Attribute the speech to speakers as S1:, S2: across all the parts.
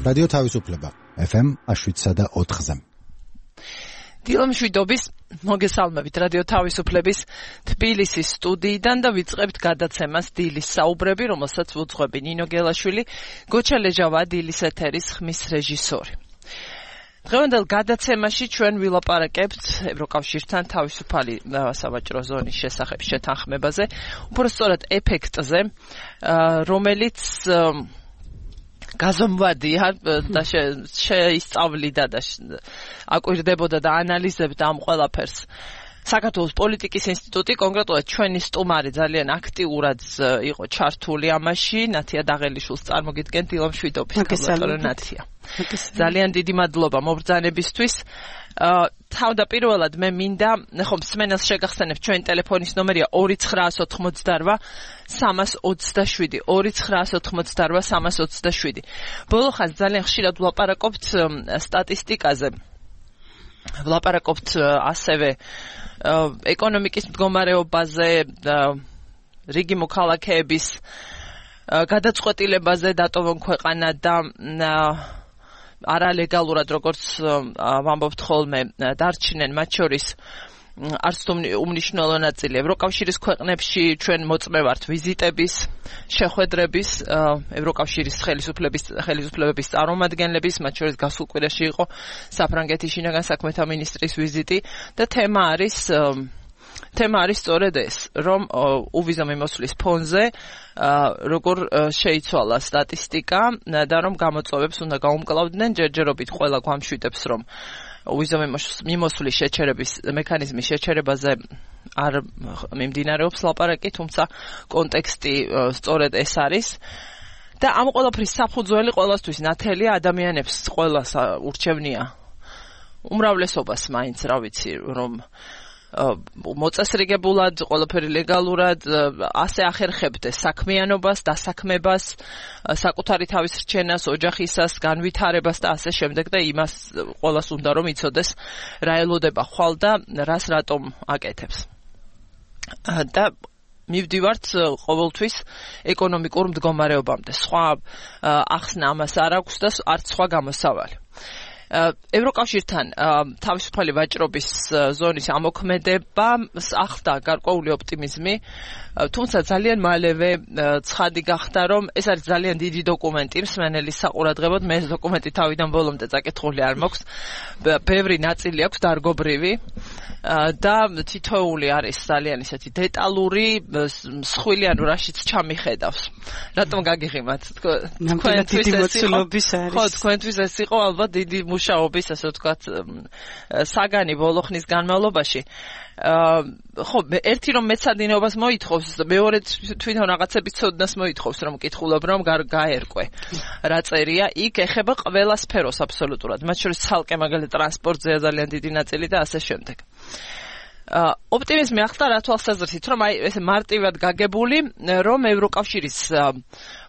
S1: რადიო თავისუფლება FM 7.4-ზე.
S2: დილამშვიდობის მოგესალმებით რადიო თავისუფლების თბილისის სტუდიიდან და ვიწყებთ გადაცემას დილის საუბრები, რომელსაც უძღვები ნინო გელაშვილი, გოჩა ლეჟავა დილის ეთერის ხმის რეჟისორი. დღევანდელ გადაცემაში ჩვენ ვილაპარაკებთ ევროკავშირთან თავისუფალი სავაჭრო ზონის შესახებ შეთანხმებაზე, უფრო სწორად ეფექტზე, რომელიც გაზომვადია და შეისწავლიდა და აკვირდებოდა და ანალიზებდა ამ ყველაფერს საქართველოს პოლიტიკის ინსტიტუტი, კონკრეტულად ჩვენი სტუმარი ძალიან აქტიურად იყო ჩართული ამაში, ნათია დაღელიშვილს წარმოგიდგენთ დილამშვიდობის კაბლატორო ნათია. ძალიან დიდი მადლობა მობრძანებისთვის. თავდაპირველად მე მინდა ხომ მსმენელს შეგახსენებთ ჩვენი ტელეფონის ნომერია 2988 327 2988 327. ბოლო ხანს ძალიან ხშირად ვლაპარაკობთ სტატისტიკაზე. ვლაპარაკობთ ასევე ეკონომიკის მდგომარეობაზე, რიგი მოქალაქეების გადაწყვეტილებაზე დატოვონ ქვეყანა და არალეგალურად როგორც ვამბობთ ხოლმე დარჩნენ მათ შორის არც უმნიშვნელო ნაწილი ევროკავშირის ქვეყნებში ჩვენ მოწმევართ ვიზიტების, შეხვედრების, ევროკავშირის ხელისუფლებების წარმომადგენლების, მათ შორის გასულ კვირაში იყო საფრანგეთის შინაგან საქმეთა მინისტრის ვიზიტი და თემა არის სწორედ ეს, რომ უვიზო მიმოსვლის ფონზე როგორ შეიცვალა სტატისტიკა და რომ გამოწვევებს უნდა გაუმკლავდნენ, ჯერჯერობით ყველა გვამშვიდებს, რომ უვიზო მიმოსვლის შეჩერების მექანიზმის შეჩერებაზე არ მიმდინარეობს ლაპარაკი, თუმცა კონტექსტი სწორედ ეს არის და ამ ყველაფრის საფუძველი ყველასთვის ნათელია ადამიანებს ყველას ურჩევნია უმრავლესობას მაინც რა ვიცი რომ მოწესრიგებულად, ყველაფერი ლეგალურად, ასე ახერხებდეს საქმიანობას, დასაქმებას, საკუთარი თავის რჩენას, ოჯახისას, განვითარებას და ასე შემდეგ და იმას ყველას უნდა რომ იცოდეს რა ელოდება ხვალ და რას რატომ აკეთებს. და მივდივართ ყოველთვის ეკონომიკურ მდგომარეობამდე. სხვა ახსნა ამას არ აქვს და არც სხვა გამოსავალი. ევროკავშირთან თავისუფალი ვაჭრობის ზონის ამოქმედება ახდა გარკვეული ოპტიმიზმი, თუმცა ძალიან მალევე ცხადი გახდა, რომ ეს არის ძალიან დიდი დოკუმენტი მსმენელის საყურადღებოდ, მე ეს დოკუმენტი თავიდან ბოლომდე წაკითხული არ მაქვს, ბევრი ნაწილი აქვს დარგობრივი და თითოეული არის ძალიან ისეთი დეტალური, მსხვილი, ანუ რაშიც ჩამიხედავს. რატომ გაგიღიმათ? თქვენთვის ეს იყო ალბათ დიდი მუშაობის, ასე ვთქვათ, საგანი ბოლო ხნის განმავლობაში. ხო, ერთი რომ მეცადინეობას მოითხოვს, მეორე თვითონ რაღაცების ცოდნას მოითხოვს, რომ მკითხულობ, რომ გაერკვე. რა წერია, იქ ეხება ყველა სფეროს აბსოლუტურად, მათ შორის ცალკე მაგალითად ტრანსპორტზეა ძალიან დიდი ნაწილი და ასე შემდეგ. ოპტიმიზმი ახლა რა თვალსაზრისით, რომ აი ესე მარტივად გაგებული, რომ ევროკავშირის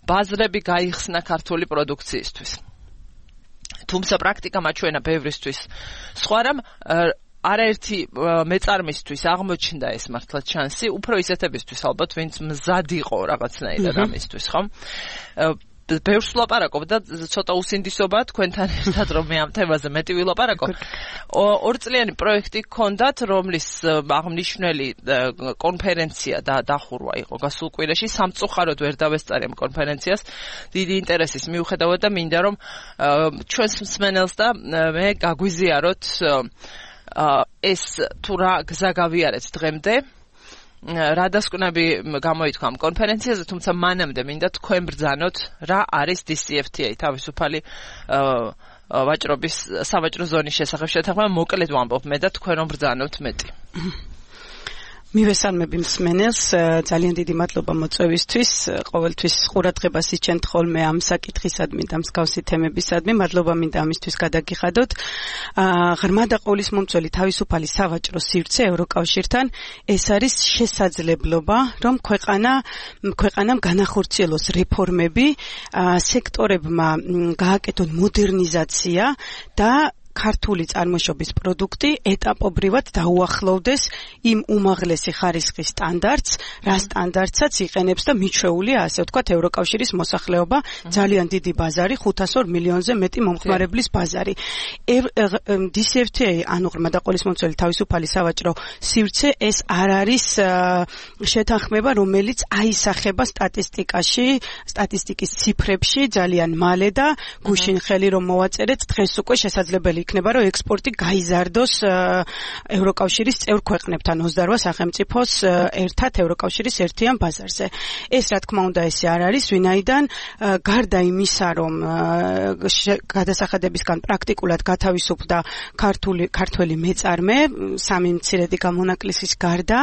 S2: ბაზრები გაიხსნა ქართული პროდუქციისთვის. თუმცა პრაქტიკა მაჩვენა ბევრისთვის სხვა რამ არაერთი მეწარმისთვის აღმოჩნდა ეს მართლაც შანსი, უფრო ისეთებისთვის ალბათ, ვინც მზად იყო რაღაცნაირად ამისთვის, ხო? ბევრს ვლაპარაკობ და ცოტა უსინდისობაა თქვენთან ერთად, რომ მე ამ თემაზე მეტი ვილაპარაკო. ორწლიანი პროექტი გქონდათ, რომლის აღნიშნული კონფერენცია და დახურვა იყო გასულ კვირაში, სამწუხაროდ ვერ დავესწარი ამ კონფერენციას დიდი ინტერესის მიუხედავად და მინდა რომ ჩვენს მსმენელს და მე გაგვიზიაროთ ეს თუ რა გზა გავიარეთ დღემდე. რა დასკვნები გამოითქვა ამ კონფერენციაზე, თუმცა მანამდე მინდა თქვენ ბრძანოთ რა არის DCFTA, თავისუფალი ვაჭრობის სავაჭრო ზონის შესახებ შეთანხმება, მოკლედ ვამბობ მე და თქვენ რომ ბრძანოთ მეტი.
S3: მივესალმები მსმენელს, ძალიან დიდი მადლობა მოწვევისთვის, ყოველთვის ყურადღებას იჩენთ ხოლმე ამ საკითხისადმი და მსგავსი თემებისადმი, მადლობა მინდა ამისთვის გადაგიხადოთ. ღრმა და ყოვლისმომცველი თავისუფალი სავაჭრო სივრცე ევროკავშირთან, ეს არის შესაძლებლობა, რომ ქვეყანამ განახორციელოს რეფორმები, სექტორებმა გააკეთონ მოდერნიზაცია და ქართული წარმოშობის პროდუქტი ეტაპობრივად დაუახლოვდეს იმ უმაღლესი ხარისხის სტანდარტს, რა სტანდარტსაც იყენებს და მიჩვეულია, ასე ვთქვათ, ევროკავშირის მოსახლეობა, ძალიან დიდი ბაზარი, 502 მილიონზე მეტი მომხმარებლის ბაზარი. DCFTA, ანუ ღრმა და ყოლისმომცველი თავისუფალი სავაჭრო სივრცე, ეს არ არის შეთანხმება, რომელიც აისახება სტატისტიკის ციფრებში ძალიან მალე და გუშინ ხელი რომ მოვაწერეთ, დღეს უკვე შესაძლებელი იქნება, რომ ექსპორტი გაიზარდოს ევროკავშირის წევრ ქვეყნებთან 28 სახელმწიფოს ერთად ევროკავშირის ერთიან ბაზარზე. ეს რა თქმა უნდა ესე არ არის, ვინაიდან გარდა იმისა, რომ გადასახადებისგან პრაქტიკულად გათავისუფლდა ქართველი მეწარმე, სამი მცირედი გამონაკლისის გარდა,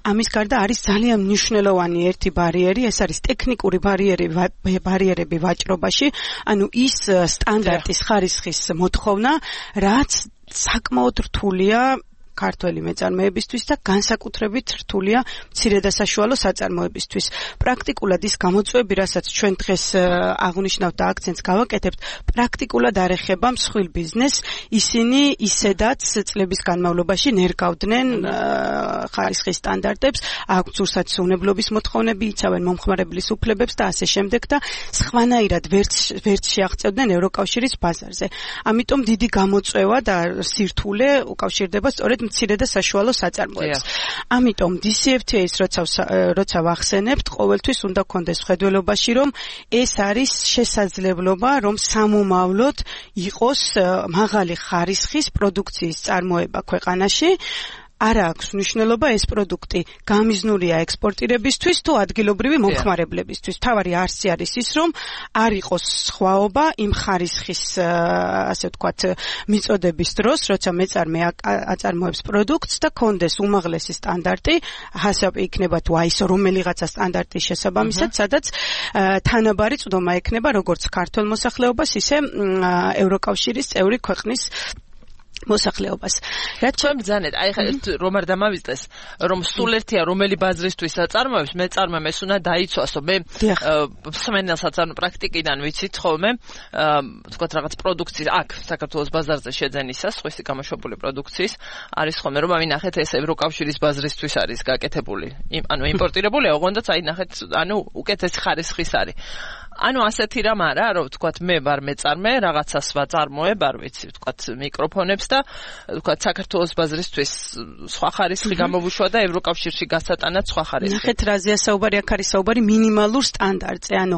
S3: ამის გარდა არის ძალიან მნიშვნელოვანი ერთი ბარიერი, ეს არის ტექნიკური ბარიერები ვაჭრობაში, ანუ ის სტანდარტის ხარისხის მოთხოვნა, რაც საკმაოდ რთულია ქართველი მეწარმეებისთვის და განსაკუთრებით რთულია მცირე და საშუალო საწარმოებისთვის. პრაქტიკულად ის გამოწვევები, რასაც ჩვენ დღეს აღნიშნავთ და აქცენტს გავაკეთებთ, პრაქტიკულად არ ეხება მსხვილ ბიზნესს, ისინი ისედაც წლების განმავლობაში ნერგავდნენ ხარისხის სტანდარტებს, აქვთ სურსათმოვნებლობის მოთხოვნები, იცავენ მომხმარებლის უფლებებს და ასე შემდეგ და სხვანაირად ვერც შეაღწევდნენ ევროკავშირის ბაზარზე. ამიტომ დიდი გამოწვევა და სირთულე უკავშირდება სწორედ მცირე და საშუალო საწარმოებს. ამიტომ DCFTA-ს როცა ვახსენებთ, ყოველთვის უნდა გქონდეს ხედველობაში, რომ ეს არის შესაძლებლობა, რომ სამომავლოდ იყოს მაღალი ხარისხის პროდუქციის წარმოება ქვეყანაში. არ აქვს მნიშვნელობა ეს პროდუქტი გამიზნულია ექსპორტირებისთვის თუ ადგილობრივი მომხმარებლებისთვის. თავარი არსი არის ის, რომ არ იყოს სხვაობა იმ ხარისხის, ასე ვთქვათ, მიწოდების დროს, როცა მეწარმე აწარმოებს პროდუქტს და კონდეს უმაღლესი სტანდარტი, ჰასაპი იქნება თუ ISO რომელიღაცა სტანდარტის შესაბამისად, სადაც თანაბარი წვდომა ექნება როგორც ქართულ მოსახლეობას, ისე ევროკავშირის წევრი ქვეყნის მოსახლეობას.
S2: რაც ჩვენ ბრძანეთ, აი ხა რომ არ დამავიწყდეს, რომ სულ ერთია რომელი ბაზრისთვის აწარმოებს, მეწარმემ ეს უნდა დაიცვასო. მე მსმენელსაც ანუ პრაქტიკიდან ვიცით ხოლმე, ვთქვათ რაღაც პროდუქციის აქ საქართველოს ბაზარზე შეძენისას, სხვისი გამოშვებული პროდუქციის არის ხოლმე რომ ავინახეთ ეს ევროკავშირის ბაზრისთვის არის გაკეთებული. ანუ იმპორტირებული, ოღონდაც აი ნახეთ, ანუ უკეთესი ხარისხის არის. ანუ ასეთი რამ არა, რომ ვთქვათ მე ვარ მეწარმე, რაღაცას ვაწარმოებ, არ ვიცი, ვთქვათ მიკროფონებს და ვთქვათ საქართველოს ბაზრისთვის სხვა ხარისხი გამოვუშვა და ევროკავშირში გასატანად სხვა ხარისხი.
S3: ნახეთ რაზეა საუბარი, აქ არის საუბარი მინიმალურ სტანდარტზე, ანუ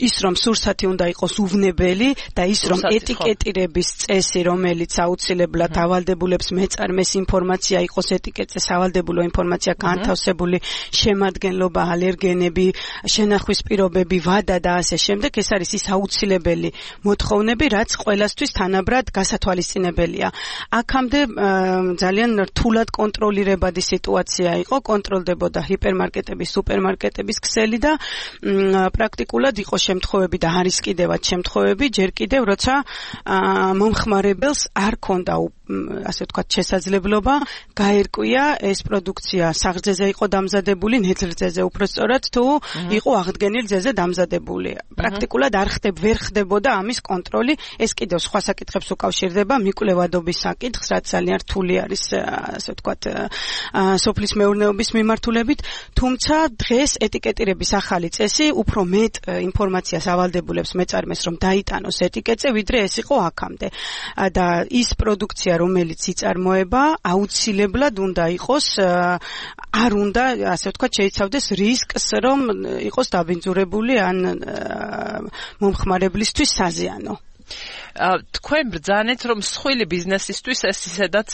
S3: ის რომ სურსათი უნდა იყოს უვნებელი და ის რომ ეტიკეტირების წესი, რომელიც აუცილებლად ავალდებულებს მეწარმეს ინფორმაცია იყოს ეტიკეტზე სავალდებულო ინფორმაცია განთავსებული, შემადგენლობა, ალერგენები, შენახვის პირობები, ვადა და ასე შემდეგ, ეს არის ის აუცილებელი მოთხოვნები, რაც ყველასთვის თანაბრად გასათვალისწინებელია. აქამდე ძალიან რთულად კონტროლირებადი სიტუაცია იყო, კონტროლდებოდა ჰიპერმარკეტების, სუპერმარკეტების ქსელი და პრაქტიკულად იყო შემთხვევები და არის კიდევაც შემთხვევები, ჯერ კიდევ როცა მომხმარებელს არ ქონდა ასე ვთქვათ შესაძლებლობა გაერკვია ეს პროდუქცია საღრძეზე იყო დამზადებული, ნედლრძეზე უბრალოდ თუ იყო აღდგენილ ძეზე დამზადებული. პრაქტიკულად ვერ ხდებოდა ამის კონტროლი, ეს კიდევ სხვა საკითხებს უკავშირდება, მიკვლევადობის საკითხს, რაც ძალიან რთული არის, ასე ვთქვათ, სოფლის მეურნეობის მიმართულებით, თუმცა დღეს ეტიკეტირების ახალი წესი უფრო მეტ ინფორმაციას ავალდებულებს მეწარმეს, რომ დაიტანოს ეტიკეტზე, ვიდრე ეს იყო აქამდე. და ის პროდუქცია, რომელიც იწარმოება, აუცილებლად უნდა იყოს, არ უნდა, ასე ვთქვათ, შეიცავდეს რისკს, რომ იყოს დაბინძურებული ან მომხმარებლისთვის საზიანო.
S2: თქვენ ბრძანეთ, რომ მსხვილი ბიზნესისთვის ეს ისედაც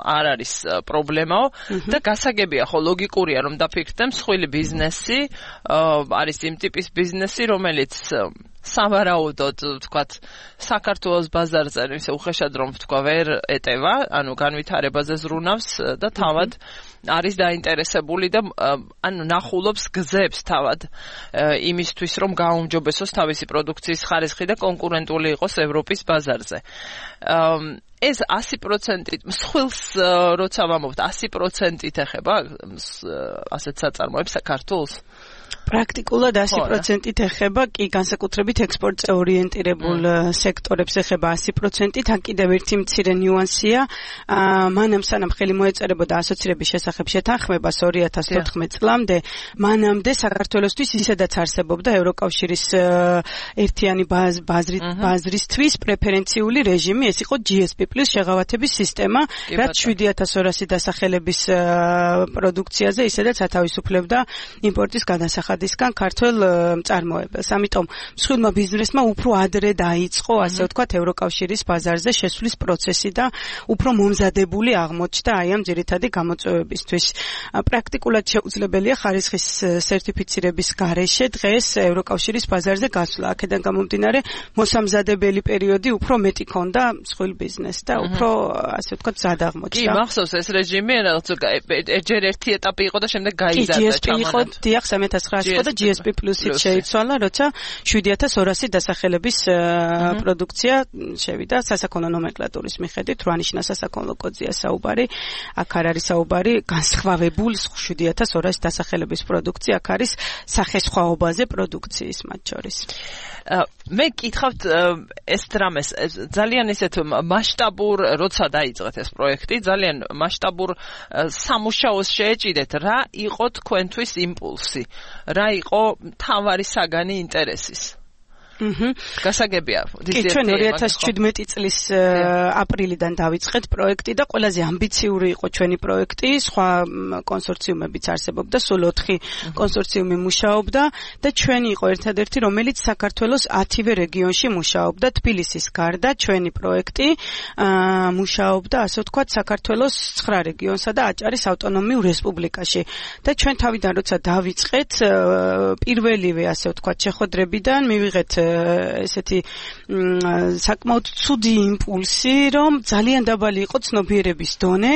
S2: არ არის პრობლემაო და გასაგებია, ხო ლოგიკურია, რომ დაფიქრდე მსხვილი ბიზნესი არის იმ ტიპის ბიზნესი, რომელიც სავარაუდოდ, ვთქვათ, საქართველოს ბაზარზე ისე უხეშად რომ ვთქვა ვერ ეტევა, ანუ განვითარებაზე ზრუნავს და თავად არის დაინტერესებული და ანუ ნახულობს გზებს თავად იმისთვის, რომ გაუმჯობესოს თავისი პროდუქციის ხარისხი და კონკურენტული იყოს ევროპის ბაზარზე. ეს 100% მსხვილს როცა ვამბობთ 100% ეხება ასეთ საწარმოებს საქართველოს?
S3: პრაქტიკულად 100%-ით ეხება კი განსაკუთრებით ექსპორტზე ორიენტირებულ სექტორებს ეხება 100%-ით. აქ კიდევ ერთი მცირე ნიუანსია. მანამ სანამ ხელი მოეწერებოდა ასოცირების შესახებ შეთანხმებას 2014 წლამდე, მანამდე საქართველოსთვის ისედაც არსებობდა ევროკავშირის ერთიანი ბაზრისთვის პრეფერენციული რეჟიმი, ეს იყო GSP+ შეღავათების სისტემა, რაც 7200 დასახელების პროდუქციაზე ისედაც ათავისუფლებდა იმპორტის გადასახადისგან ქართულ მწარმოებელს. ამიტომ მსხვილმა ბიზნესმა უფრო ადრე დაიწყო, ასე ვთქვათ, ევროკავშირის ბაზარზე შესვლის პროცესი და უფრო მომზადებული აღმოჩნდა აი ამ ძირითადი გამოწვევებისთვის. პრაქტიკულად შეუძლებელია ხარისხის სერტიფიცირების გარეშე დღეს ევროკავშირის ბაზარზე გასვლა. აქედან გამომდინარე, მოსამზადებელი პერიოდი უფრო მეტი ქონდა მსხვილ ბიზნესს და უფრო, ასე ვთქვათ, ზად აღმოჩნდა.
S2: კი, მახსოვს ეს რეჟიმი, რაღაც ჯერ ერთი ეტაპი იყო და შემდეგ გაიზარდა
S3: ჩამონად. დიახ, 1900 იყო და GSP+-ით შეიცვალა, როცა 7200 დასახელების პროდუქცია შევიდა სასაქონლო ნომენკლატურის მიხედვით, რა ნიშნა სასაქონლო კოდზია საუბარი, აქ არ არის საუბარი განსხვავებულ 7200 დასახელების პროდუქცია, აქ არის სახესხვაობაზე პროდუქციის მათ შორის.
S2: მე კითხავთ ეს დრამეს ძალიან ისეთ მასშტაბურ როცა დაიწყეთ ეს პროექტი, ძალიან მასშტაბურ სამუშაოს შეეჭიდეთ, რა იყო თქვენთვის იმპულსი, რა იყო მთავარი საგანი ინტერესის? გასაგებია.
S3: კი, ჩვენ 2017 წლის აპრილიდან დავიწყეთ პროექტი და ყველაზე ამბიციური იყო ჩვენი პროექტი, სხვა კონსორციუმებიც არსებობდა, სულ 4 კონსორციუმი მუშაობდა და ჩვენი იყო ერთადერთი, რომელიც საქართველოს 10-ვე რეგიონში მუშაობდა, თბილისის გარდა ჩვენი პროექტი მუშაობდა, ასე ვთქვათ, საქართველოს 9 რეგიონსა და აჭარის ავტონომიურ რესპუბლიკაში. და ჩვენ თავიდან როცა დავიწყეთ, პირველივე, ასე ვთქვათ, შეხვედრებიდან მივიღეთ ესეთი საკმაოდ ცუდი იმპულსი, რომ ძალიან დაბალი იყო ცნობიერების დონე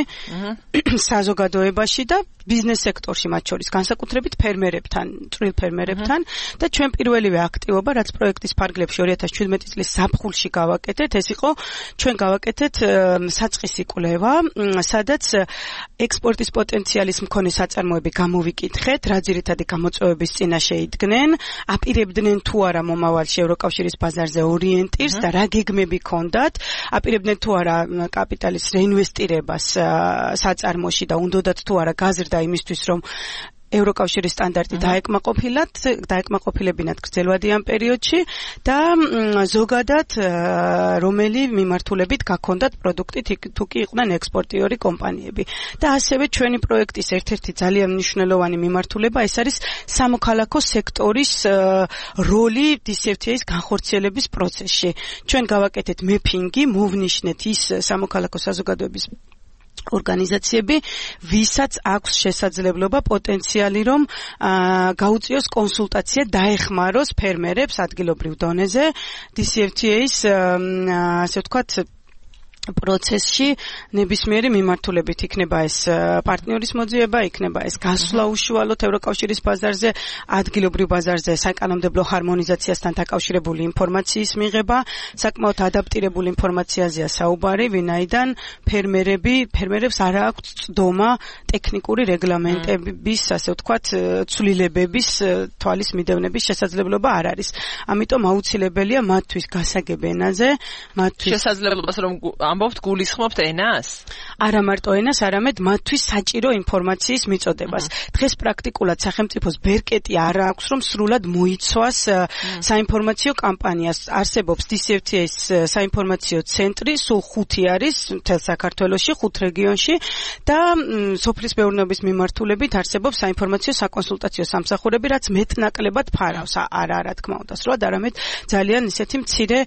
S3: საზოგადოებაში და ბიზნეს სექტორში, მათ შორის განსაკუთრებით ფერმერებთან, წვრილ ფერმერებთან და ჩვენ პირველივე აქტივობა, რაც პროექტის ფარგლებში 2017 წლის ზაფხულში გავაკეთეთ, ეს იყო ჩვენ გავაკეთეთ საწყისი კვლევა, სადაც ექსპორტის პოტენციალის მქონე საწარმოები გამოვიკითხეთ, რა ძირითადი გამოწვევების წინაშე იდგნენ, აპირებდნენ თუ არა მომავალში ევროკავშირის ბაზარზე ორიენტირს და რა გეგმები ქონდათ, აპირებდნენ თუ არა კაპიტალის რეინვესტირებას საწარმოში და უნდათ თუ არა გაზრდა იმისთვის, რომ ევროკავშირის სტანდარტი დაეკმაყოფილებინათ გრძელვადიან პერიოდში და ზოგადად რომელი მიმართულებით გაქონდათ პროდუქტი თუ კი იყვნენ ექსპორტიორი კომპანიები. და ასევე ჩვენი პროექტის ერთ-ერთი ძალიან მნიშვნელოვანი მიმართულება ეს არის სამოქალაქო სექტორის როლი DCFTA-ის განხორციელების პროცესში. ჩვენ გავაკეთეთ მეფინგი, მოვნიშნეთ ის სამოქალაქო საზოგადოების ორგანიზაციები, ვისაც აქვს შესაძლებლობა პოტენციალი, რომ გაუწიოს კონსულტაცია, დაეხმაროს ფერმერებს ადგილობრივ დონეზე DCFTA-ის, ასე ვთქვათ, პროცესში ნებისმიერი მიმართულებით იქნება ეს პარტნიორის მოძიება, იქნება ეს გასვლა უშუალოდ ევროკავშირის ბაზარზე, ადგილობრივ ბაზარზე საკანონმდებლო ჰარმონიზაციასთან დაკავშირებული ინფორმაციის მიღება, საკმაოდ ადაპტირებული ინფორმაციაზეა საუბარი, ვინაიდან ფერმერებს არ აქვს წდომა ტექნიკური რეგლამენტების, ასე ვთქვათ, ცვლილებების თვალის მიდევნების შესაძლებლობა არ არის. ამიტომ აუცილებელია მათთვის გასაგებ ენაზე, მათთვის
S2: შესაძლებლობას რომ ამბობთ გულისხმობთ ენას?
S3: არა მარტო ენას, არამედ მათთვის საჭირო ინფორმაციის მიწოდებას. დღეს პრაქტიკულად სახელმწიფოს ბერკეტი არ აქვს, რომ სრულად მოიცვას საინფორმაციო კამპანიას. არსებობს DCFTA-ის საინფორმაციო ცენტრი, სულ 5 არის მთელ საქართველოში, 5 რეგიონში და სოფლის მეურნეობის მიმართულებით არსებობს საინფორმაციო საკონსულტაციო სამსახურები, რაც მეტნაკლებად ფარავს. არა, თქმა უნდა, სრულად, არამედ ძალიან ისეთი მცირე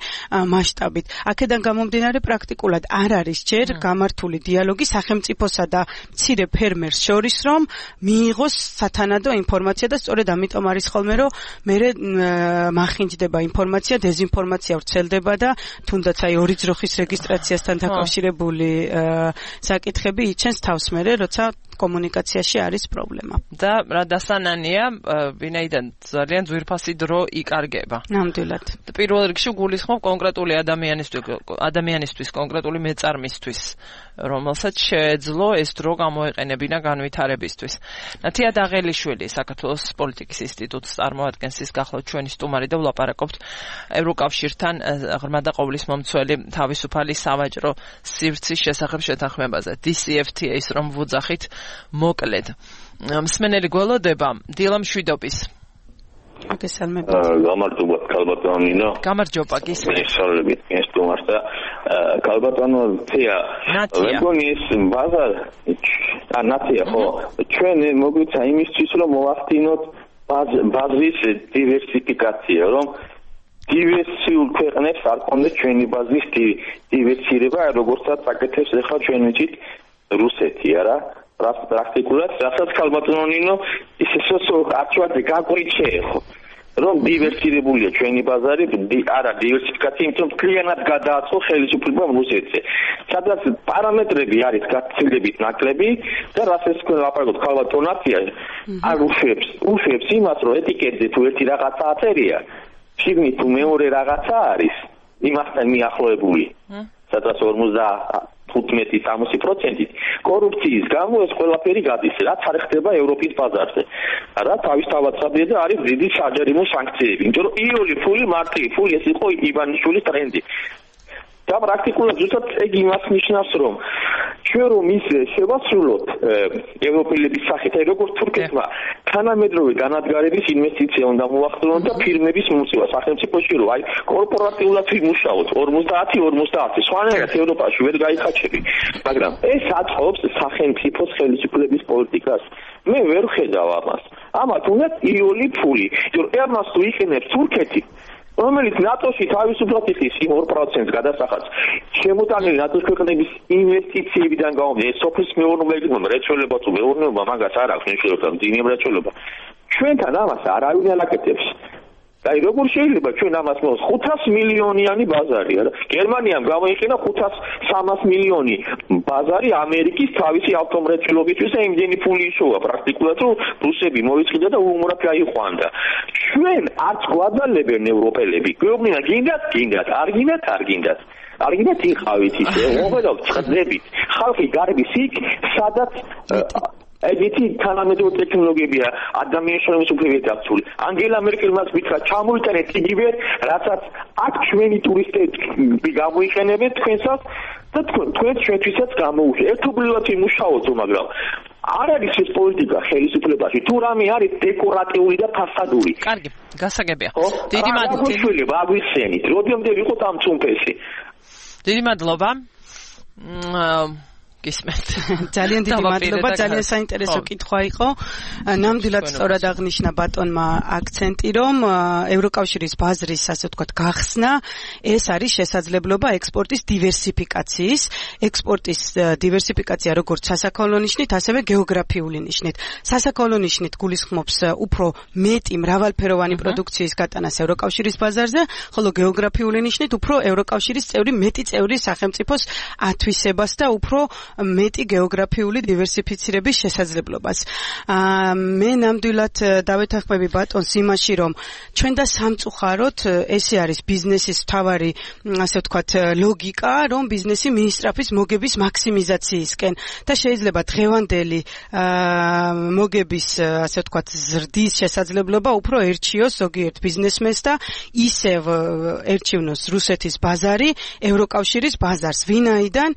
S3: მასშტაბით. აქედან გამომდინარე პრაქტიკულად არ არის ჯერ გამართული დიალოგი სახელმწიფოსა და მცირე ფერმერს შორის, რომ მიიღოს სათანადო ინფორმაცია და სწორედ ამიტომ არის ხოლმე, რომ მერე მახინჯდება ინფორმაცია, დეზინფორმაცია ვრცელდება და თუნდაც აი ორი ძროხის რეგისტრაციასთან დაკავშირებული საკითხები იჩენს თავს მერე, როცა კომუნიკაციაში არის პრობლემა.
S2: და რა დასანანია, ვინაიდან ძალიან ძვირფასი დრო იკარგება.
S3: ნამდვილად.
S2: პირველ რიგში გულისხმობ კონკრეტული ადამიანისთვის კონკრეტული კონკრეტული მეწარმისთვის, რომელსაც შეეძლო ეს დრო გამოეყენებინა განვითარებისთვის. ნათია დაღელიშვილი საქართველოს პოლიტიკის ინსტიტუტს წარმოადგენს, ის გახლავთ ჩვენი სტუმარი და ვლაპარაკობთ ევროკავშირთან ღრმა და ყოვლის მომცველი თავისუფალი სავაჭრო სივრცის შესახებ შეთანხმებაზე. DCFTA-ის რომ ვუძახით მოკლედ. მსმენელი გველოდება დილა მშვიდობის.
S3: აგესალმებით.
S4: გამარჯობა ქალბატონინო.
S2: გამარჯობა გისმენთ.
S4: მოგესალმებით სტუმარს და ქალბატონო თია. მეგონი ეს ნათია ხო? ჩვენ მოგვიცა იმისთვის რომ მოვახდინოთ ბაზრის დივერსიფიკაცია, რომ დივერსიულ ქვეყნებს არ კონდეს ჩვენი ბაზრის დივერსირება, როგორცაც აკეთებს ახლა ჩვენ ვიცით რუსეთი, არა? პრაქტიკულად რასაც ქალბატონინო ის არჩევანზე გაგვიჩე ხო? რომ დივერსირებულია ჩვენი ბაზარი, არა დივერსიფიკაცია, იმიტომ რომ კლიენტად გადააწყო ხელისუფლება რუსეთზე. სადაც პარამეტრები არის გაცილებით ნაკლები და რასაც ვაპარაკობთ ქალბატონათია, არ უშვებს იმას, რომ ეტიკეტზე თუ ერთი რაღაცა აწერია, შიგნით თუ მეორე რაღაცა არის, იმასთან მიახლოებული. სადაც 55-60% კორუფციის გამო ეს ყველაფერი გადის, რაც არ ხდება ევროპის ბაზარზე. რა თავისთავად საბია და არის დიდი საჯარიმო სანქციები. იმიტომ რომ იული ფული მარტივი ფული ეს იყო ივანიშვილის ტრენდი. და პრაქტიკულად ზუსტად ეგ იმას ნიშნავს, რომ ჩვენ რომ ის შევასრულოთ ევროპელების სახით, როგორც თურქეთმა თანამედროვე განადგარების ინვესტიცია უნდა მოახდინონ და ფირმების მომწევა სახელმწიფოში რომ აი კორპორატიულად ვიმუშაოთ 50-50, სხვანაირად ევროპაში ვერ გაიხაჩები, მაგრამ ეს აწყობს სახელმწიფოს ხელისუფლების პოლიტიკას. მე ვერ ხედავ ამას. ამათ უნდა იული ფული, რომ ემას თუ იყენებს თურქეთი, რომელიც ნატოში თავისუფლად იხდის იმ 2%-ს გადასახადს, შემოტანილი ნატოს ქვეყნების ინვესტიციებიდან გამომდინარე, სოფლის მეურნეობა, მრეწველობა თუ მეურნეობა მაგას არ აქვს მნიშვნელობა, მძიმე მრეწველობა. ჩვენთან ამას არავინ არ აკეთებს. და როგორ შეიძლება ჩვენ ამას მოს 500 მილიონიანი ბაზარი, არა? გერმანიამ გამოიყენა 500-300 მილიონი ბაზარი ამერიკის თავისი ავტომრეწველობისთვის და იმდენი ფული იშოვა პრაქტიკულად, რომ რუსები მოიწყიდა და უუმრად გაიყვანდა. ჩვენ არც გვაძალებენ ევროპელები. გვეუბნება გინდათ, არ გინდათ. არ გინდათ იყავით ისე, მოღედავთ ჭრდებით. ხალხი გარბის იქ, სადაც ეგეთი თანამედროვე ტექნოლოგიებია ადამიანის შრომის უფლებებით დაცული. ანგელა მერკელმაც გითხრა ჩამოიტანეთ იგივე, რასაც აქ ჩვენი ტურისტები გამოიყენებენ თქვენსაც და თქვენ ჩვენთვისაც გამოუშვით. ერთობლივად იმუშაოთ, მაგრამ არ არის ეს პოლიტიკა ხელისუფლებაში. თუ რამე არის დეკორატიული და ფასადური.
S2: კარგი, გასაგებია. დიდი მადლობა.
S4: აღნიშნულება აგვიხსენით. როდემდე ვიყოთ ამ წუმფესი.
S2: დიდი მადლობა. გისმენთ.
S3: ძალიან დიდი მადლობა, ძალიან საინტერესო კითხვა იყო. ნამდვილად სწორად აღნიშნა ბატონმა აქცენტი, რომ ევროკავშირის ბაზრის, ასე ვთქვათ, გახსნა ეს არის შესაძლებლობა ექსპორტის დივერსიფიკაციის, ექსპორტის დივერსიფიკაცია როგორც სასაქონლო ნიშნით, ასევე გეოგრაფიული ნიშნით. სასაქონლო ნიშნით გულისხმობს უფრო მეტი მრავალფეროვანი პროდუქციის გატანას ევროკავშირის ბაზარზე, ხოლო გეოგრაფიული ნიშნით უფრო ევროკავშირის მეტი წევრი სახელმწიფოს ათვისებას და უფრო მეტი გეოგრაფიული დივერსიფიცირების შესაძლებლობას. მე ნამდვილად დავეთანხმები ბატონს იმაში, რომ ჩვენ და სამწუხაროდ ესე არის ბიზნესის მთავარი, ასე ვთქვათ, ლოგიკა, რომ ბიზნესი მიისწრაფის მოგების მაქსიმიზაციისკენ და შეიძლება დღევანდელი მოგების, ასე ვთქვათ, ზრდის შესაძლებლობა უფრო ერჩიოს ზოგიერთ ბიზნესმენს და ისევ ერჩივნოს რუსეთის ბაზარი ევროკავშირის ბაზარს, ვინაიდან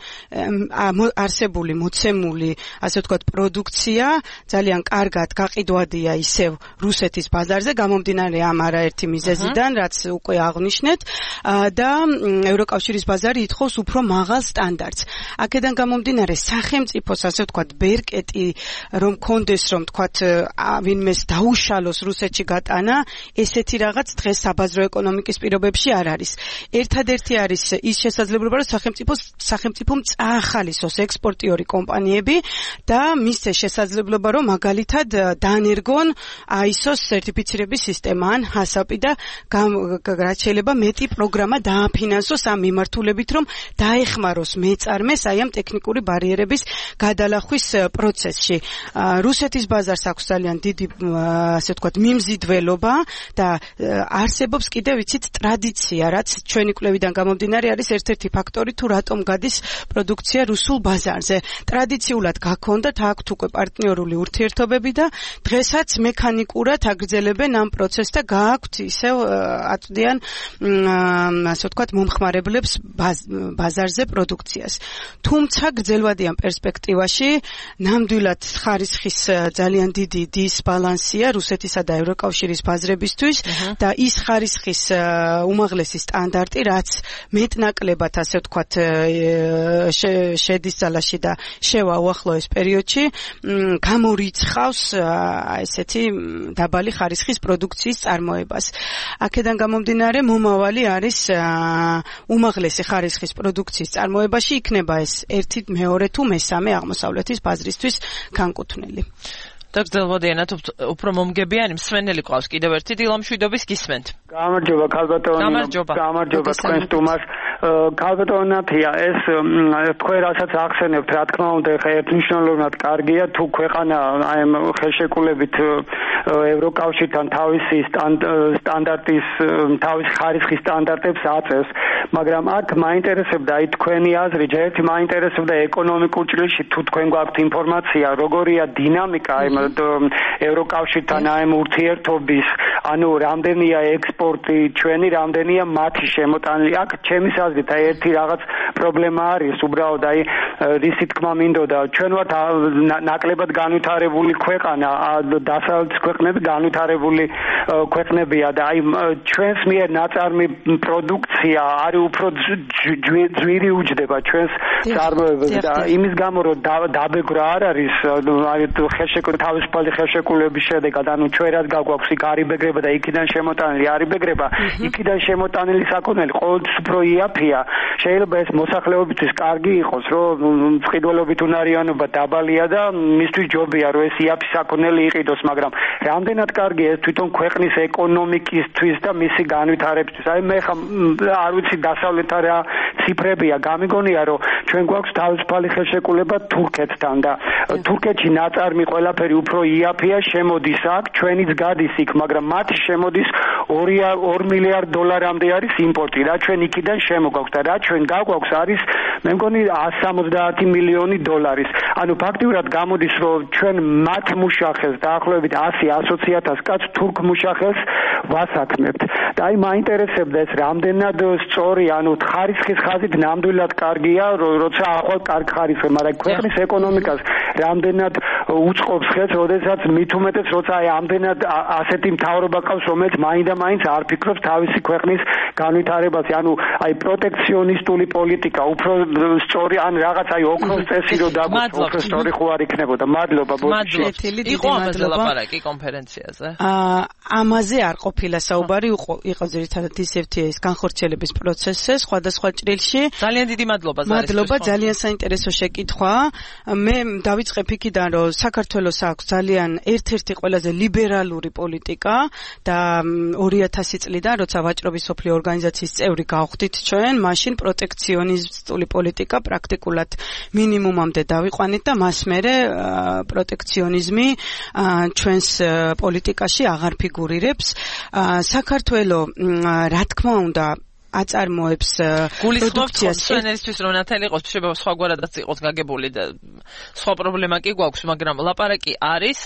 S3: არსებული მოცემული, ასე ვთქვათ, პროდუქცია ძალიან კარგად გაყიდვადია ისევ რუსეთის ბაზარზე, გამომდინარე ამ არაერთი მიზეზიდან, რაც უკვე აღნიშნეთ, და ევროკავშირის ბაზარი ითხოვს უფრო მაღალ სტანდარტს. აქედან გამომდინარე, სახელმწიფოს, ასე ვთქვათ, ბერკეტი რომ კონდეს, რომ ვთქვათ, ვინმეს დაუშალოს რუსეთში გატანა, ესეთი რაღაც დღეს საბაზრო ეკონომიკის პირობებში არ არის. ერთადერთი არის ის შესაძლებლობა, რომ სახელმწიფომ წაახალისოს ექსპორტიორი კომპანიები და მისცეს შესაძლებლობა, რომ მაგალითად დაანერგონ ISO-ს სერტიფიცირების სისტემა ან HACCP და რაც შეიძლება მეტი პროგრამა დააფინანსოს ამ მიმართულებით, რომ დაეხმაროს მეწარმეს აი ამ ტექნიკური ბარიერების გადალახვის პროცესში. რუსეთის ბაზარს აქვს ძალიან დიდი, ასე ვთქვათ, მიმზიდველობა და არსებობს კიდევ ვიცით ტრადიცია, რაც ჩვენი კვლევიდან გამომდინარე არის ერთ-ერთი ფაქტორი, თუ რატომ გადის პროდუქცია რუსულ ბაზარზე. ტრადიციულად გაქონდათ აქვთ უკვე პარტნიორული ურთიერთობები და დღესაც მექანიკურად აგრძელებენ ამ პროცესს და გააქვთ ისევ აწვდიან ასე ვთქვათ მომხმარებლებს ბაზარზე პროდუქციას. თუმცა გრძელვადიან პერსპექტივაში ნამდვილად ხარისხის ძალიან დიდი დისბალანსია რუსეთისა და ევროკავშირის ბაზრებისთვის და ის ხარისხის უმაღლესი სტანდარტი, რაც მეტნაკლებად ასე ვთქვათ შედის ძალაში და შევა უახლოეს პერიოდში, გამორიცხავს ესეთი დაბალი ხარისხის პროდუქციის წარმოებას. აქედან გამომდინარე, მომავალი არის უმაღლესი ხარისხის პროდუქციის წარმოებაში იქნება ეს ერთი, მეორე თუ მესამე აღმოსავლეთის ბაზრისთვის განკუთვნილი.
S2: დაგრძელვადიანად უფრო მომგებიანი მსმენელი ყავს კიდევ ერთი დილამშვიდობის გისმენთ.
S5: გამარჯობა ქალბატონო. გამარჯობა თქვენ სტუმარს. ქალბატონათია ეს თქვენ რასაც ახსენებთ, რა თქმა უნდა, ხა ერთნიშნულოვნად კარგია თუ ქვეყანა აი ამ ხელშეკრულებით ევროკავშირთან თავისი სტანდარტის თავის ხარისხის სტანდარტებს აწევს, მაგრამ აქ მაინტერესებდა აი თქვენი აზრი, ჯერ მაინტერესებდა ეკონომიკურ ჭრილში თუ თქვენ გვაქვთ ინფორმაცია, როგორია დინამიკა აი ევროკავშირთან აი ურთიერთობის, ანუ რამდენია ექსპორტი ჩვენი, რამდენია მათი შემოტანილი. აქ ჩემის აზრით აი ერთი რაღაც პრობლემა არის, უბრალოდ აი რისი თქმა მინდოდა, ჩვენ ვართ ნაკლებად განვითარებული ქვეყანა, დასავლეთის ქვეყნები განვითარებული ქვეყნებია და აი ჩვენს მიერ ნაწარმი პროდუქცია არის უფრო ძვირი უჯდება ჩვენს წარმოებაზე და იმის გამო რომ დაბეგრა არ არის აი თავისუფალი ხელშეკრულების შედეგად, ანუ ჩვენ რაც გაგვაქვს იქ არიბეგრება და იქიდან შემოტანილი არიბეგრება, იქიდან შემოტანილი საქონელი ყოველთვის უფრო იაფია. შეიძლება ეს მოსახლეობისთვის კარგი იყოს, რომ მწყიდველობით უნარიანობა დაბალია და მისთვის ჯობია რომ ეს იაფი საქონელი იყიდოს, მაგრამ რამდენად კარგია ეს თვითონ ქვეყნის ეკონომიკისთვის და მისი განვითარებისთვის. აი მე ხა არ ვიცი დასავლეთთან რა ციფრებია, გამიგონია რომ ჩვენ გვაქვს თავისუფალი ხელშეკრულება თურქეთთან და თურქეთში ნაწარმი ყველაფერი უფრო იაფია, შემოდის აქ, ჩვენიც გადის იქ, მაგრამ მათი შემოდის 2 მილიარდ დოლარამდე არის იმპორტი, რა ჩვენ იქიდან შემოგვაქვს და რა ჩვენ გაგვაქვს არის მე მგონი 170 მილიონი დოლარის. ანუ ფაქტიურად გამოდის რომ ჩვენ მათ მუშახელს დაახლოებით 100-120,000 კაცს თურქ მუშახელს ვასაქმებთ. და აი მაინტერესებდა ეს რამდენად სწორი, ანუ ხარისხის ხაზით ნამდვილად კარგია, როცა ახვალ კარგ ხარისხი, მაგრამ ქვეყნის ეკონომიკას რამდენად უწყობს ხელს, როდესაც მით უმეტეს როცა აი ამდენად ასეთი მთავრობა ყავს, რომელიც მაინდა-მაინც არ ფიქრობს თავისი ქვეყნის განვითარებაზე, ანუ აი პროტექციონისტული პოლიტიკა უფრო სწორი, ან რაღაც აი ოქროს წესი რო დაგვაქვს, უფრო სწორი ხო არ იქნებოდა. მადლობა ბოდიში.
S2: იყო ამაზე ლაპარაკი კონფერენციაზე?
S3: ამაზე არ ყოფილა საუბარი, იყო ძირითადად DCFTA-ის განხორციელების პროცესზე, სხვადასხვა ჭრილში.
S2: ძალიან დიდი მადლობა ზარისთვის.
S3: მადლობა, ძალიან საინტერესო შეკითხვა. მე დავიწყებ იქიდან, რომ საქართველოს აქვს ძალიან ერთ-ერთი ყველაზე ლიბერალური პოლიტიკა და 2000 წლიდან, როცა ვაჭრობის სოფლიო ორგანიზაციის წევრი გავხდით ჩვენ, მაშინ პროტექციონისტული პოლიტიკა პრაქტიკულად მინიმუმამდე დავიყვანით და მას მერე პროტექციონიზმი ჩვენს პოლიტიკაში აღარ ფიგურირებს. საქართველოს რა თქმა უნდა აწარმოებს
S2: პროდუქციას ჩვენისთვის რომ ნათელი იყოს, შეიძლება სხვაგვარადაც იყოს გაგებული და სხვა პრობლემა კი გვაქვს, მაგრამ ლაპარაკი არის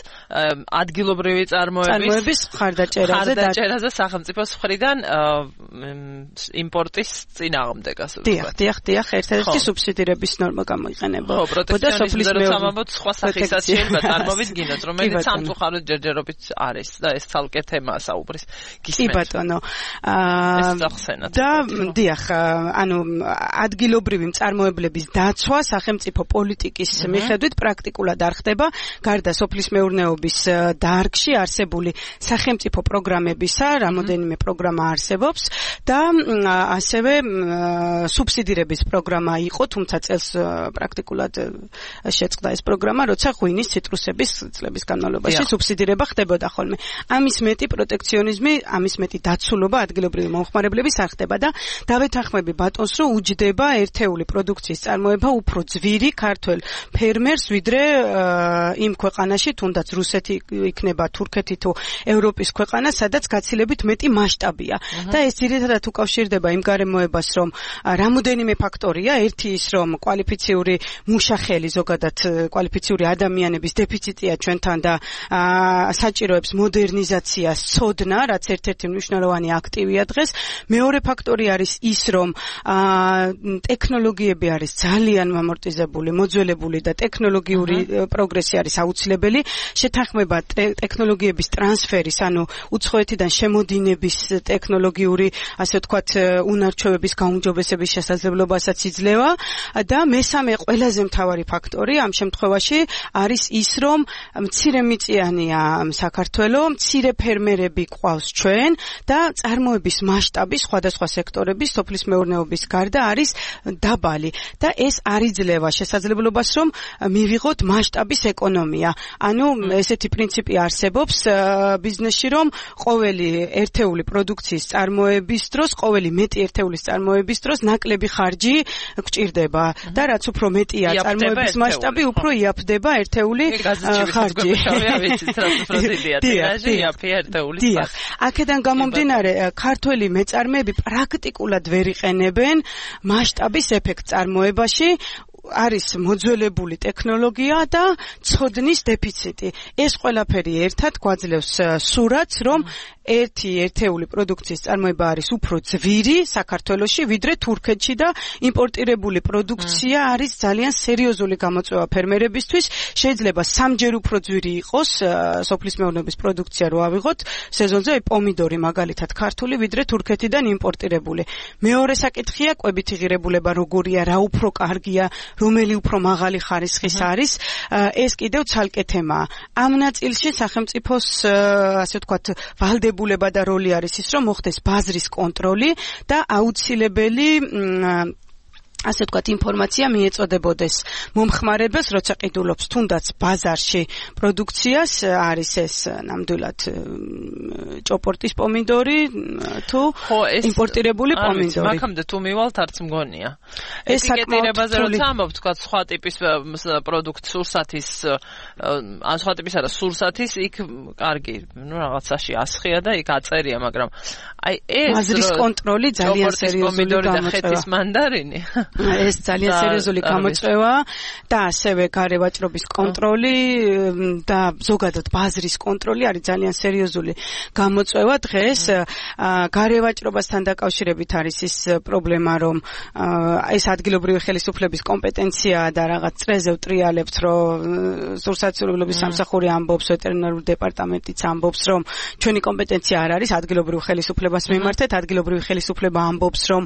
S2: ადგილობრივი წარმოების ხარდაჭერაზე სახელმწიფოს მხრიდან იმპორტის წინააღმდეგ, ასე ვთქვათ.
S3: დიახ, ერთ-ერთი სუბსიდირების ნორმა გამოიყენება.
S2: ხო, პროტექციონიზმის როცამამოთ სხვა სახისაც შეიძლება წარმოვიდგინოთ, რომელიც სამწუხაროდ ჯერჯერობით არის და ეს ცალკე თემაა საუბრის.
S3: კი ბატონო.
S2: ეს ახსენათ.
S3: და დიახ, ანუ ადგილობრივი მწარმოებლების დაცვა სახელმწიფო პოლიტიკის მიხედვით პრაქტიკულად არ ხდება, გარდა სოფლის მეურნეობის დარგში არსებული სახელმწიფო პროგრამებისა, რამოდენიმე პროგრამა არსებობს და ასევე სუბსიდირების პროგრამა იყო, თუმცა წელს პრაქტიკულად შეწყდა ეს პროგრამა, როცა ღვინის ციტრუსების წლების განმავლობაში სუბსიდირება ხდებოდა ხოლმე. ამის მეტი პროტექციონიზმი, ამის მეტი დაცულობა ადგილობრივი მომხმარებლების არ ხდება და დავეთანხმები ბატონს, რომ უჯდება ერთეული პროდუქციის წარმოება უფრო ძვირი ქართველ ფერმერს, ვიდრე იმ ქვეყანაში, თუნდაც რუსეთი იქნება, თურქეთი თუ ევროპის ქვეყანა, სადაც გაცილებით მეტი მასშტაბია. და ეს ძირითადად უკავშირდება იმ გარემოებას, რომ რამოდენიმე ფაქტორია, ერთი ის, რომ კვალიფიციური მუშახელი, ზოგადად კვალიფიციური ადამიანების დეფიციტია ჩვენთან და საჭიროებს მოდერნიზაციას, ცოდნა, რაც ერთ-ერთი მნიშვნელოვანი აქტივია დღეს. მეორე ფაქტორი არის ის, რომ ტექნოლოგიები არის ძალიან მომორტიზებული, მოძველებული და ტექნოლოგიური პროგრესი არის აუცილებელი. შეთანხმება ტექნოლოგიების ტრანსფერის, ანუ უცხოეთიდან შემოდინების ტექნოლოგიური, ასე ვთქვათ, უნარჩვევების გაუმჯობესების შესაძლებლობასაც იძლევა და მესამე ყველაზე მთავარი ფაქტორი ამ შემთხვევაში არის ის, რომ მცირემიწიანია საქართველო, მცირე ფერმერები ყავს ჩვენ და წარმოების მასშტაბი სხვადასხვა სექტორების, სოფლის მეურნეობის გარდა არის დაბალი და ეს არ იძლევა შესაძლებლობას, რომ მივიღოთ მასშტაბის ეკონომია. ანუ ესეთი პრინციპი არსებობს ბიზნესში, რომ ყოველი ერთეული პროდუქციის წარმოების დროს, ყოველი მეტი ერთეულის წარმოების დროს ნაკლები ხარჯი გჭირდება და რაც უფრო მეტია წარმოების მასშტაბი, უფრო იაფდება ერთეული ხარჯი. დიახ, აქედან გამომდინარე, ქართველი მეწარმეები პრაქტიკულად ვერ იყენებენ მასშტაბის ეფექტს წარმოებაში, არის მოძველებული ტექნოლოგია და ცოდნის დეფიციტი. ეს ყველაფერი ერთად გვაძლევს სურათს, რომ ერთეული პროდუქციის წარმოება არის უფრო ძვირი საქართველოში, ვიდრე თურქეთში და იმპორტირებული პროდუქცია არის ძალიან სერიოზული გამოწვევა ფერმერებისთვის. შეიძლება სამჯერ უფრო ძვირი იყოს სოფლის მეურნეობის პროდუქცია რო ავიღოთ სეზონზე, პომიდორი მაგალითად ქართული, ვიდრე თურქეთიდან იმპორტირებული. მეორე საკითხია კვებითი ღირებულება როგორია, რა უფრო კარგია, რომელი უფრო მაღალი ხარისხის არის, ეს კიდევ ცალკე თემაა. ამ ნაწილში სახელმწიფოს, ასე ვთქვათ, ვალდებულება და როლი არის ის, რომ მოხდეს ბაზრის კონტროლი და აუცილებელი ასე ვთქვათ, ინფორმაცია მიეწოდებოდეს მომხმარებელს, როცა ყიდულობს თუნდაც ბაზარში პროდუქციას, არის ეს ნამდვილად ჭოპორტის პომიდორი თუ იმპორტირებული პომიდორი.
S2: მაგამდე თუ მივალთ, არც მგონია. ეტიკეტირებაზე როცა ამბობ, თქვათ, სხვა ტიპის პროდუქტ სურსათის, ან სხვა ტიპის არა, სურსათის, იქ კარგი, რაღაცაში ასხია და იქ აწერია, მაგრამ აი ეს
S3: ბაზრის კონტროლი ძალიან სერიოზული
S2: გამოწვევა. ხეთის მანდარინი.
S3: ეს ძალიან სერიოზული გამოწვევაა და ასევე გარევაჭრობის კონტროლი და ზოგადად ბაზრის კონტროლი არის ძალიან სერიოზული გამოწვევა დღეს. გარევაჭრობასთან დაკავშირებით არის ის პრობლემა, რომ ეს ადგილობრივი ხელისუფლების კომპეტენციაა და რაღაც წრეზე ვტრიალებთ, რომ სურსათმცოდნეობის სამსახური ამბობს, ვეტერინარული დეპარტამენტიც ამბობს, რომ ჩვენი კომპეტენცია არ არის ადგილობრივ ხელისუფლებას მიმართეთ, ადგილობრივი ხელისუფლება ამბობს, რომ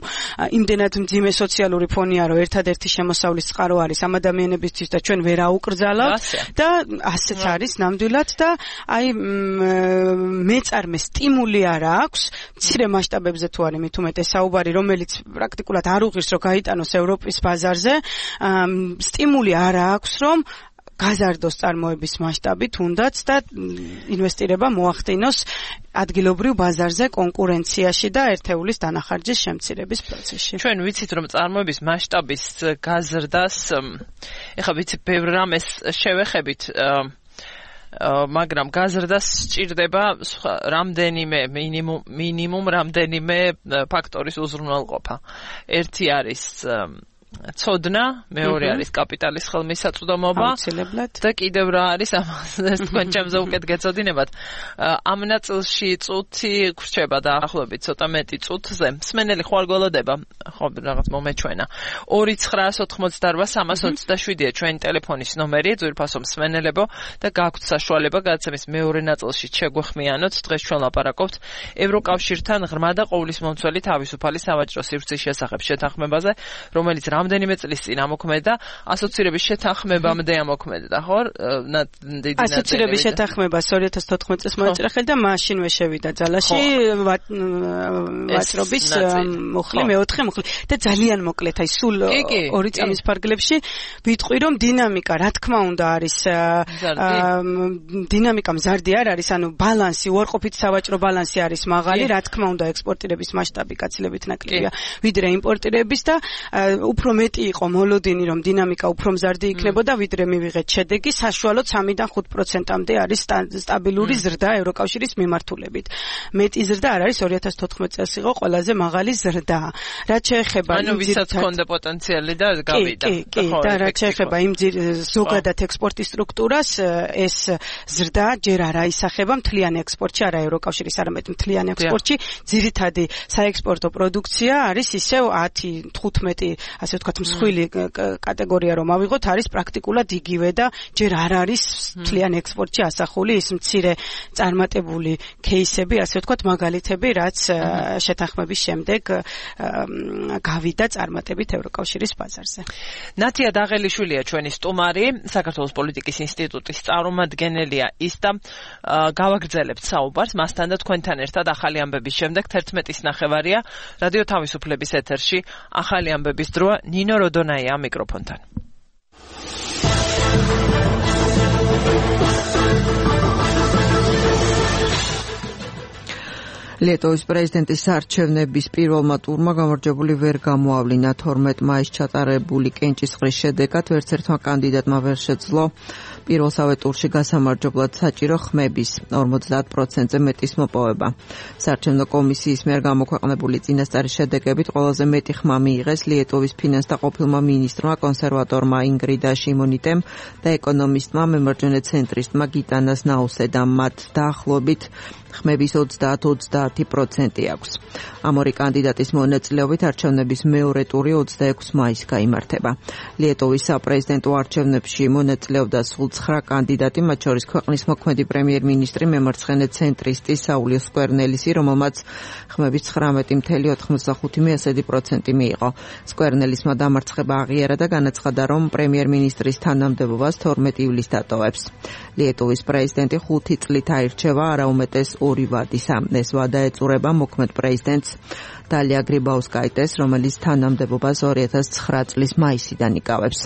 S3: იმდენად მძიმე სოციალური ფონია, რომ ერთადერთი შემოსავლის წყარო არის ამ ადამიანებისთვის და ჩვენ ვერ აუკრძალავთ და ასეც არის ნამდვილად და აი მეწარმე სტიმული არ აქვს, მცირე მასშტაბებზე თუ არის მით უმეტეს საუბარი, რომელიც პრაქტიკულად არ უღირს, რომ გაიტანოს ევროპის ბაზარზე, სტიმული არ აქვს, რომ გაზარდოს წარმოების მასშტაბი თუნდაც და ინვესტირება მოახდინოს ადგილობრივ ბაზარზე კონკურენციაში და ერთეულის დანახარჯის შემცირების პროცესში.
S2: ჩვენ ვიცით, რომ წარმოების მასშტაბის გაზრდას, ეხლა ვიცით, ბევრ რამეს შევეხებით, მაგრამ გაზრდას სჭირდება რამდენიმე მინიმუმ რამდენიმე ფაქტორის უზრუნველყოფა. ერთი არის ცოდნა, მეორე არის კაპიტალის ხელმისაწვდომობა და კიდევ რა არის ამას თქვენ ჩემზე უკეთ გეცოდინებათ. ამ ნაწილში წუთი გრჩება დაახლოებით ცოტა მეტი წუთზე. მსმენელი ხვალ გველოდება, ხო რაღაც მომეჩვენა. 2988327-ია ჩვენი ტელეფონის ნომერი, ძვირფასო მსმენელებო და გაქვთ საშუალება გადაცემის მეორე ნაწილში შეგვეხმიანოთ. დღეს ჩვენ ლაპარაკობთ ევროკავშირთან ღრმა და ყოვლისმომცველი თავისუფალი სავაჭრო სივრცის შესახებ შეთანხმებაზე, რომელიც რამდენიმე წლის წინ ამოქმედა, ასოცირების შეთანხმებამდე ამოქმედა, ხო?
S3: ასოცირების შეთანხმება 2014 წელს მოეწრა ხელი და მაშინვე შევიდა ძალაში ვაჭრობის მუხლი, მეოთხე მუხლი და ძალიან მოკლედ, აი სულ 2 წამის ფარგლებში ვიტყვი რომ დინამიკა, რა თქმა უნდა არის დინამიკა მზარდი არ არის, ანუ ბალანსი, უარყოფით სავაჭრო ბალანსი არის მაღალი, რა თქმა უნდა ექსპორტირების მასშტაბი გაცილებით ნაკლებია ვიდრე იმპორტირების და უფრო მეტი იყო მოლოდინი რომ დინამიკა უფრო მზარდი იქნებოდა ვიდრე მივიღეთ შედეგი საშუალოდ 3-დან 5%-მდე არის სტაბილური ზრდა ევროკავშირის მიმართულებით. მეტი ზრდა არ არის 2014 წელს იყო ყველაზე მაღალი ზრდა. რაც შეეხება
S2: ანუ ვისაც ჰქონდა პოტენციალი და გავიდა.
S3: ხო, და რაც შეეხება იმ ზოგადად ექსპორტის სტრუქტურას, ეს ზრდა ჯერ არა ისახება მთლიან ექსპორტში, არა ევროკავშირის, არამედ მთლიან ექსპორტში. ძირითადი საექსპორტო პროდუქცია არის ისევ 10-15, ასე ვთქვათ, მსხვილი კატეგორია რომ ავიღოთ, არის პრაქტიკულად იგივე და ჯერ არ არის მთლიან ექსპორტში ასახული ის მცირე წარმატებული кейსები, ასე ვთქვათ, მაგალითები, რაც შეთანხმების შემდეგ გავიდა წარმატებით ევროკავშირის ბაზარზე.
S2: ნათია დაღელიშვილია ჩვენი სტუმარი, საქართველოს პოლიტიკის ინსტიტუტის წარმომადგენელია ის და გავაგრძელებთ საუბარს მასთან და თქვენთან ერთად ახალი ამბების შემდეგ 11:09 რადიო თავისუფლების ეთერში ახალი ამბების დროა. ნინო როდონაია მიკროფონთან.
S6: ლიტოვის პრეზიდენტის არჩევნების პირველმა ტურმა გამარჯვებული ვერ გამოავლინა. 12 მაისს ჩატარებული კენჭისყრის შედეგად ვერც ერთმა კანდიდატმა ვერ შეძლო პირველსავე ტურში გასამარჯვებლად საჭირო ხმების 50%-ზე მეტის მოპოვება. საარჩევნო კომისიის მიერ გამოქვეყნებული წინასწარი შედეგებით ყველაზე მეტი ხმა მიიღეს ლიტოვის ფინანსთა ყოფილმა მინისტრმა, კონსერვატორმა ინგრიდა შიმონიტემ და ეკონომისტმა მემარჯვენე ცენტრისტმა გიტანას ნაუსედამ. მათ დაახლოებით ხმების 30-30% აქვს. ამ ორი კანდიდატის მონაწილეობით არჩევნების მეორე ტური 26 მაისს გაიმართება. ლიტოვის საპრეზიდენტო არჩევნებში მონაწილეობდა სულ 9 კანდიდატი, მათ შორის ქვეყნის მოქმედი პრემიერ-მინისტრი, მემარცხენე ცენტრისტი საული სკვერნელისი, რომელმაც ხმების 19.95% მიიღო. სკვერნელისმა დამარცხება აღიარა და განაცხადა, რომ პრემიერ-მინისტრის თანამდებობას 12 ივლისს დატოვებს. ლიტოვის პრეზიდენტი 5 წლით აირჩევა, არაუმეტეს 2 ვადისა. ეს ვადა ეწურება მოქმედ პრეზიდენტს დალია გრიბაუსკაიტეს, რომელიც თანამდებობას 2009 წლის მაისიდან იკავებს.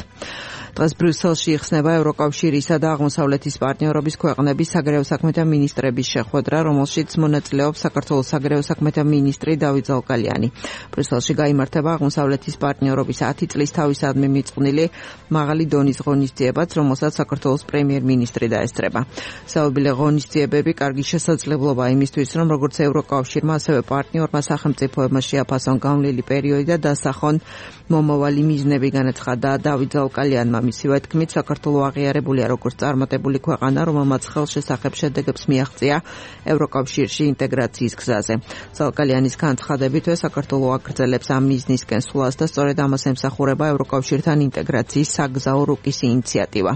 S6: დღეს ბრიუსელში იხსნება ევროკავშირისა და აღმოსავლეთის პარტნიორობის ქვეყნების საგარეო საქმეთა მინისტრების შეხვედრა, რომელშიც მონაწილეობს საქართველოს საგარეო საქმეთა მინისტრი დავით ზალკალიანი. ბრიუსელში გაიმართება აღმოსავლეთის პარტნიორობის 10 წლის თავისადმი მიწყვნილი მაღალი დონის ღონისძიებაც, რომელსაც საქართველოს პრემიერ-მინისტრი დაესწრება. საუბილე ღონისძიებები კარგი შესაძლებლობა იმისთვის, რომ როგორც ევროკავშირმა, ასევე პარტნიორმა სახელმწიფოებმა შეაფასონ განვლილი პერიოდი და დასახონ მომავალი მიზნები, განაცხადა დავით ზალკალიანმა. მისივე თქმით, საქართველო აღიარებულია როგორც წარმატებული ქვეყანა, რომელმაც ხელშესახებ შედეგებს მიაღწია ევროკავშირში ინტეგრაციის გზაზე. ზალკალიანის განცხადებით, საქართველო აგრძელებს ამ მიზნისკენ სვლას და სწორედ ამას ემსახურება ევროკავშირთან ინტეგრაციის საგზაო რუკის ინიციატივა.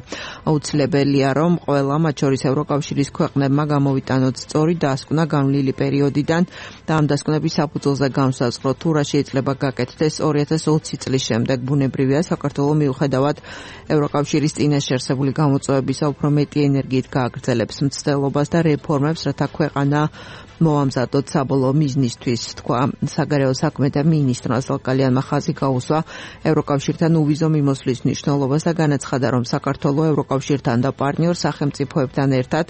S6: აუცილებელია, რომ ყველა, მათ შორის ევროკავშირის ქვეყნებმა გამოვიტანოთ სწორი დასკვნა განვლილი პერიოდიდან და ამ დასკვნების საფუძველზე განსაზღვროთ, თუ რა შეიძლება გაკეთდეს 2020 წლის შემდეგ. ბუნებრივია, საქართველო მიუხედავად ევროკავშირის წინაშე არსებული გამოწვევებისა უფრო მეტი ენერგიით გააგრძელებს მცდელობას და რეფორმებს, რათა ქვეყანა მოამზადოთ საბოლოო მიზნისთვის, თქვა საგარეო საქმეთა მინისტრმა. ზალკალიანმა ხაზი გაუსვა ევროკავშირთან უვიზო მიმოსვლის მნიშვნელობას და განაცხადა, რომ საქართველო ევროკავშირთან და პარტნიორ სახელმწიფოებთან ერთად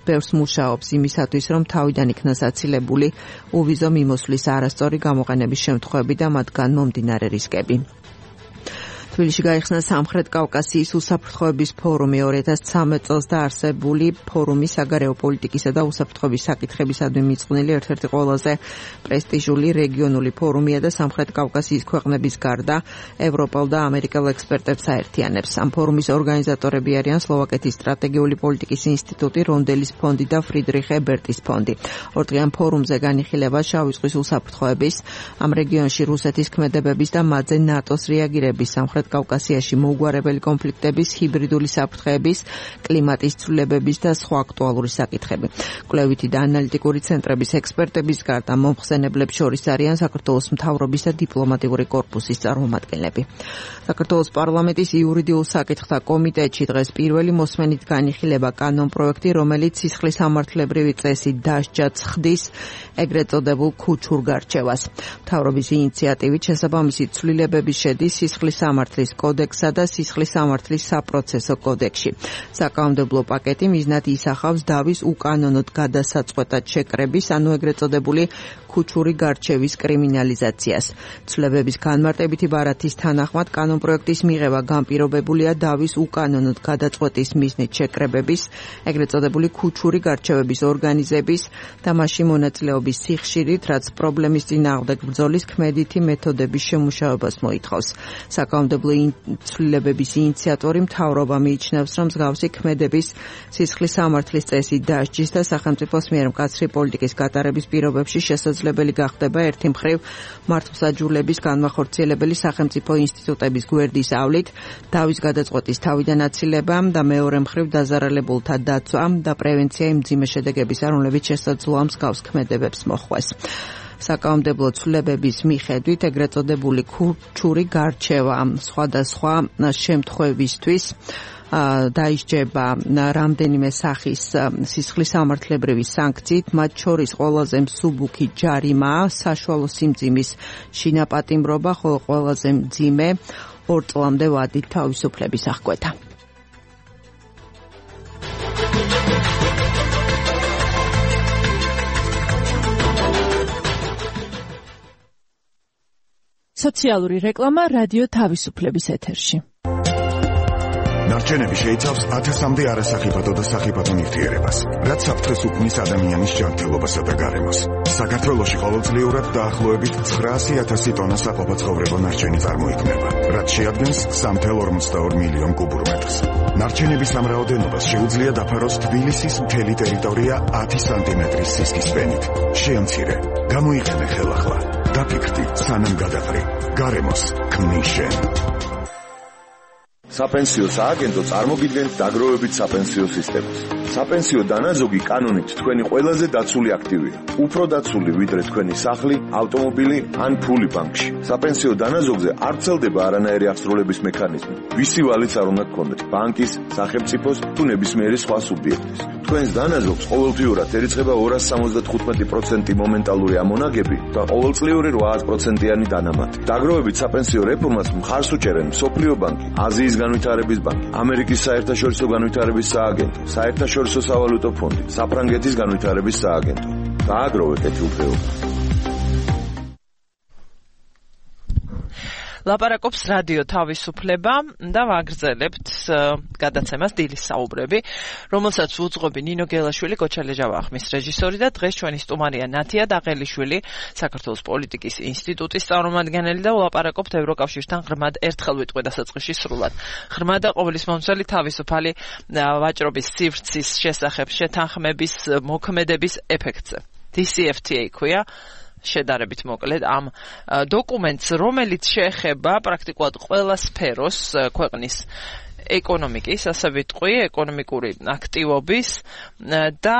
S6: ბევრს მუშაობს იმისათვის, რომ თავიდან იქნას აცილებული უვიზო მიმოსვლის არასწორი გამოყენების შემთხვევები და მათგან მომდინარე რისკები. თბილისში გაიხსნა სამხრეთ კავკასიის უსაფრთხოების ფორუმი 2013 წელს დაარსებული ფორუმი საგარეო პოლიტიკისა და უსაფრთხოების საკითხებისადმი მიწყვნილი ერთ-ერთი ყველაზე პრესტიჟული რეგიონული ფორუმია და სამხრეთ კავკასიის ქვეყნების გარდა ევროპელ და ამერიკელ ექსპერტებს აერთიანებს. ამ ფორუმის ორგანიზატორები არიან სლოვაკეთის სტრატეგიული პოლიტიკის ინსტიტუტი, რონდელის ფონდი და ფრიდრიხ ებერტის ფონდი. ორდღიან ფორუმზე განიხილება შავი ზღვის უსაფრთხოების, ამ რეგიონში რუსეთის ქმედებების და მათზე ნატოს რეაგირების, სამხრეთ კავკასიაში მოუგვარებელი კონფლიქტების, ჰიბრიდული საფრთხეების, კლიმატის ცვლილებების და სხვა აქტუალური საკითხები. კვლევითი და ანალიტიკური ცენტრების ექსპერტების გარდა მომხსენებლებს შორის არიან საქართველოს მთავრობის და დიპლომატიური კორპუსის წარმომადგენლები. საქართველოს პარლამენტის იურიდიულ საკითხთა კომიტეტში დღეს პირველი მოსმენით განიხილება კანონპროექტი, რომელიც სისხლისამართლებრივი წესით დასჯა ცხდის ეგრეთ წოდებულ ქუჩურ გარჩევას. მთავრობის ინიციატივით შესაბამისი ცვლილებები შედის სისხლისამართლის კოდექსსა და სისხლისამართლის საპროცესო კოდექსში. საკანონმდებლო პაკეტი მიზნად ისახავს დავის უკანონოდ გადასაწყვეტად შეკრების, ანუ ეგრეთ წოდებული ქუჩური გარჩევის კრიმინალიზაციას. ცვლილებების განმარტებითი ბარათის თანახმად კანონპროექტის მიღება განპირობებულია დავის უკანონოდ გადაწყვეტის მიზნით შეკრებების, ეგრეთ წოდებული ქუჩური გარჩევების ორგანიზების და მასში მონაწილეობის სიხშირით, რაც პრობლემის წინააღმდეგ ბრძოლის ქმედითი მეთოდების შემუშავებას მოითხოვს. საკანონმდებლო ცვლილებების ინიციატორი მთავრობა მიიჩნევს, რომ მსგავსი ქმედების სისხლისამართლის წესით დასჯის და სახელმწიფოს მიერ მკაცრი პოლიტიკის გატარების პირობებში შესაძლებელი გახდება ერთი მხრივ მართლმსაჯულების განმახორციელებელი სახელმწიფო ინსტიტუტების გვერდის ავლით დავის გადაწყვეტის თავიდან აცილება და მეორე მხრივ დაზარალებულთა დაცვა და პრევენცია იმ მძიმე შედეგებისა, რომლებიც შესაძლოა მსგავს ქმედებებს მოხვეს. საკანონმდებლო ცვლილებების მიხედვით ეგრეთ წოდებული ქუჩური გარჩევა სხვადასხვა შემთხვევისთვის დაისჯება რამდენიმე სახის სისხლისამართლებრივი სანქციით, მათ შორის ყველაზე მსუბუქი ჯარიმაა საშუალო სიმძიმის შინაპატიმრობა, ხოლო ყველაზე მძიმე 2 წლამდე ვადით თავისუფლების აღკვეთა.
S7: სოციალური რეკლამა რადიო თავისუფლების ეთერში.
S8: ნარჩენები შეიცავს 1000-მდე არასახიფათო და სახიფათო ნივთიერებას, რაც საფრთხეს უქმნის ადამიანის ჯანმრთელობასა და გარემოს. საქართველოში ყოველწლიურად დაახლოებით 900,000 ტონა საყოფაცხოვრებო ნარჩენი წარმოიქმნება, რაც შეადგენს 3,42 მილიონ კუბურ მეტრს. ნარჩენების ამ რაოდენობას შეუძლია დაფაროს თბილისის მთელი ტერიტორია 10 სანტიმეტრის სისქის ფენით. შეამცირე, გამოიყენე ხელახლა, დაფიქრდი სანამ გადაყრი, გარემოს ქმნის შენ.
S9: საპენსიო სააგენტო წარმოგიდგენთ დაგროვებით საპენსიო სისტემას. საპენსიო დანაზოგი კანონით თქვენი ყველაზე დაცული აქტივია. უფრო დაცული ვიდრე თქვენი სახლი, ავტომობილი ან ფული ბანკში. საპენსიო დანაზოგზე არ ვრცელდება არანაირი აღსრულების მექანიზმი. ვისი ვალიც არ უნდა გქონდეთ, ბანკის, სახელმწიფოს თუ ნებისმიერი სხვა სუბიექტის. თქვენს დანაზოგს ყოველთვიურად ერიცხება 275% მომენტალური ამონაგები და ყოველწლიური 8%-იანი დანამატი. დაგროვებით საპენსიო რეფორმას მხარს უჭერენ მსოფლიო ბანკი, აზიის განვითარების ბანკი, ამერიკის საერთაშორისო განვითარების სააგენტო, საერთაშორისო სავალუტო ფონდი, საფრანგეთის განვითარების სააგენტო. დააგროვე კეთილდღეობა.
S2: ლაპარაკობს რადიო თავისუფლება და ვაგრძელებთ გადაცემას დილის საუბრები, რომელსაც უძღვები ნინო გელაშვილი, კოჩალე ჟავახმის რეჟისორი და დღეს ჩვენი სტუმარია ნათია დაყელიშვილი, საქართველოს პოლიტიკის ინსტიტუტის წარმომადგენელი და ვლაპარაკობთ ევროკავშირთან ღრმად ერთხელ ვიტყვი დასაწყისში სრულად. ღრმა და ყოვლისმომცველი თავისუფალი ვაჭრობის სივრცის შესახებ შეთანხმების მოქმედების ეფექტზე. DCFTA ქვია შედარებით მოკლედ ამ დოკუმენტს, რომელიც შეეხება პრაქტიკულად ყველა სფეროს ქვეყნის ეკონომიკის, ასე ვიტყვი, ეკონომიკური აქტივობის და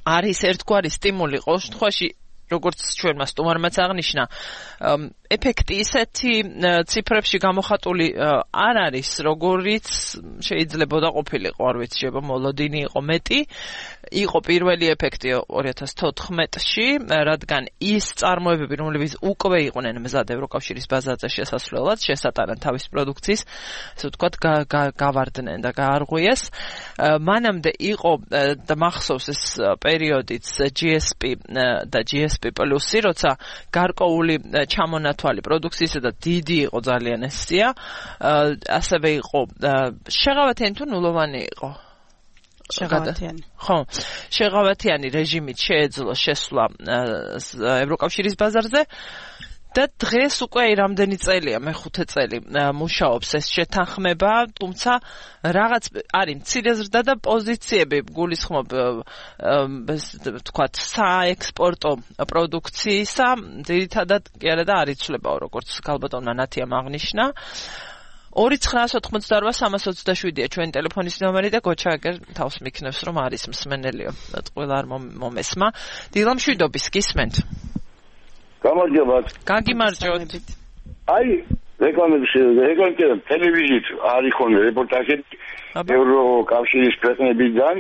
S2: არის ერთგვარი სტიმული ყოველ შემთხვევაში, როგორც ჩვენმა სტუმარმაც აღნიშნა, ეფექტი ისეთი ციფრებში გამოხატული არ არის, როგორიც შეიძლებოდა ყოფილიყო, არ ვიცი, მოლოდინი იყო მეტი. იყო პირველი ეფექტი 2014-ში, რადგან ის წარმოებები, რომლებიც უკვე იყვნენ მზად ევროკავშირის ბაზარზე შესასვლელად, შესატანან თავის პროდუქციის, ასე ვთქვათ, გავარდნენ და გაარღვიეს. მანამდე იყო და მახსოვს ეს პერიოდიც GSP და GSP პლუსი, როცა გარკვეული ჩამონათვალი პროდუქციისა და დიდი იყო ძალიან ეს სია. ასევე იყო შეღავათიანი თუ ნულოვანი იყო?
S3: შეღავათიანი.
S2: ხო, შეღავათიანი რეჟიმით შეეძლო შესვლა ევროკავშირის ბაზარზე და დღეს უკვე რამდენი წელია, მეხუთე წელი მუშაობს ეს შეთანხმება, თუმცა რაღაც არის მცირე ზრდა და პოზიციები გულისხმობ ვთქვათ საექსპორტო პროდუქციისა, ძირითადად კი არა და არ იცვლებაო, როგორც გალბატონმა ნათიამ აღნიშნა. 2988327-ია ჩვენი ტელეფონის ნომერი და გოჩა აგერ თავს მიქნევს რომ არის მსმენელიო და ყველა არ მომესმა. დილამშვიდობის გისმენთ.
S10: გამარჯობათ.
S2: გაგიმარჯოთ.
S10: აი, რეკლამები ტელევიზიით არის ხოლმე რეპორტაჟები ევროკავშირის ქვეყნებიდან.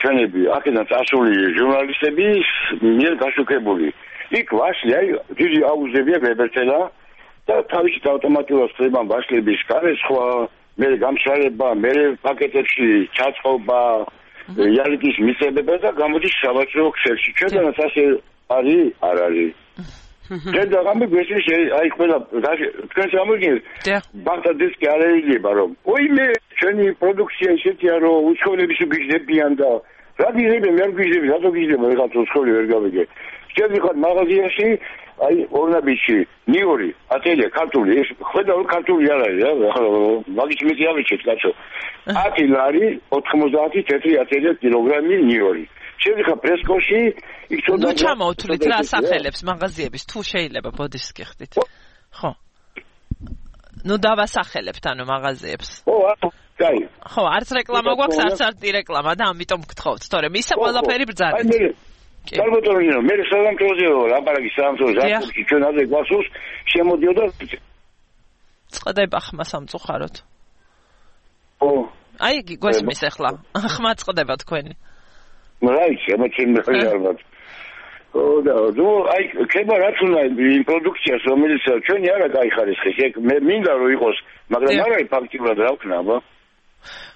S10: ჩვენები აქედან წასული ჟურნალისტები მიერ გაშუქებული. იქ ვაშლი, აი, დიდი აუზებია ბებერტელა და თავისი ავტომატურად ხდება ვაშლების გარესხვა, მე გამშრალება, მე პაკეტებში ჩაწყობა, იარიკის მისებება და გამოდის სავაჭრო ქსელში. ჩვენთანაც ასე არის, არ არის. ჩვენ დაგამი გვესის აი ყველა თქვენ სამოგინეთ ბანკადისკი არ ეილება რომ ოიმე ჩვენი პროდუქცია ისეთია რომ უცხოელები შეგიჟდებიან და რა გიჟდება მე არ გიჟდები რატო გიჟდება რაღაც უცხოელი ვერ გავიგე ჩვენ ვიხარ მაღაზიაში აი ორნაბიჩი ნიორი ატელია ქართული ეს ხედა ქართული არ არის რა მაგის მეტი ავიჩეთ კაცო 10 ლარი 90 თეთრი ატელია კილოგრამი ნიორი შევიხარ პრესკოში იქ თუნდაც
S2: ნუ ჩამოვთვლით რა სახელებს მაღაზიების თუ შეიძლება ბოდიშს გიხდით ხო ნუ დავასახელებთ ანუ მაღაზიებს
S10: კაი
S2: ხო არც რეკლამა გვაქვს არც რეკლამა და ამიტომ გთხოვთ თორემ ისა ყველაფერი ბრძანეთ
S10: გალბატონო მე სალამთროზეო ლაპარაკი სალამთროზე ზაფხულში ჩვენ აზე გვასულს შემოდიოდა
S2: წყდება ხმა სამწუხაროდ
S10: ო
S2: აი გვესმის ახლა ხმა წყდება თქვენი
S10: Right, emoțional. Da, nu, ai ქება რაც უნდა იმ პროდუქციას რომელიც ჩვენი არა გაიხარისხეს. მე მინდა რომ იყოს, მაგრამ არა ფაქტიურად რა ვქნა, აბა.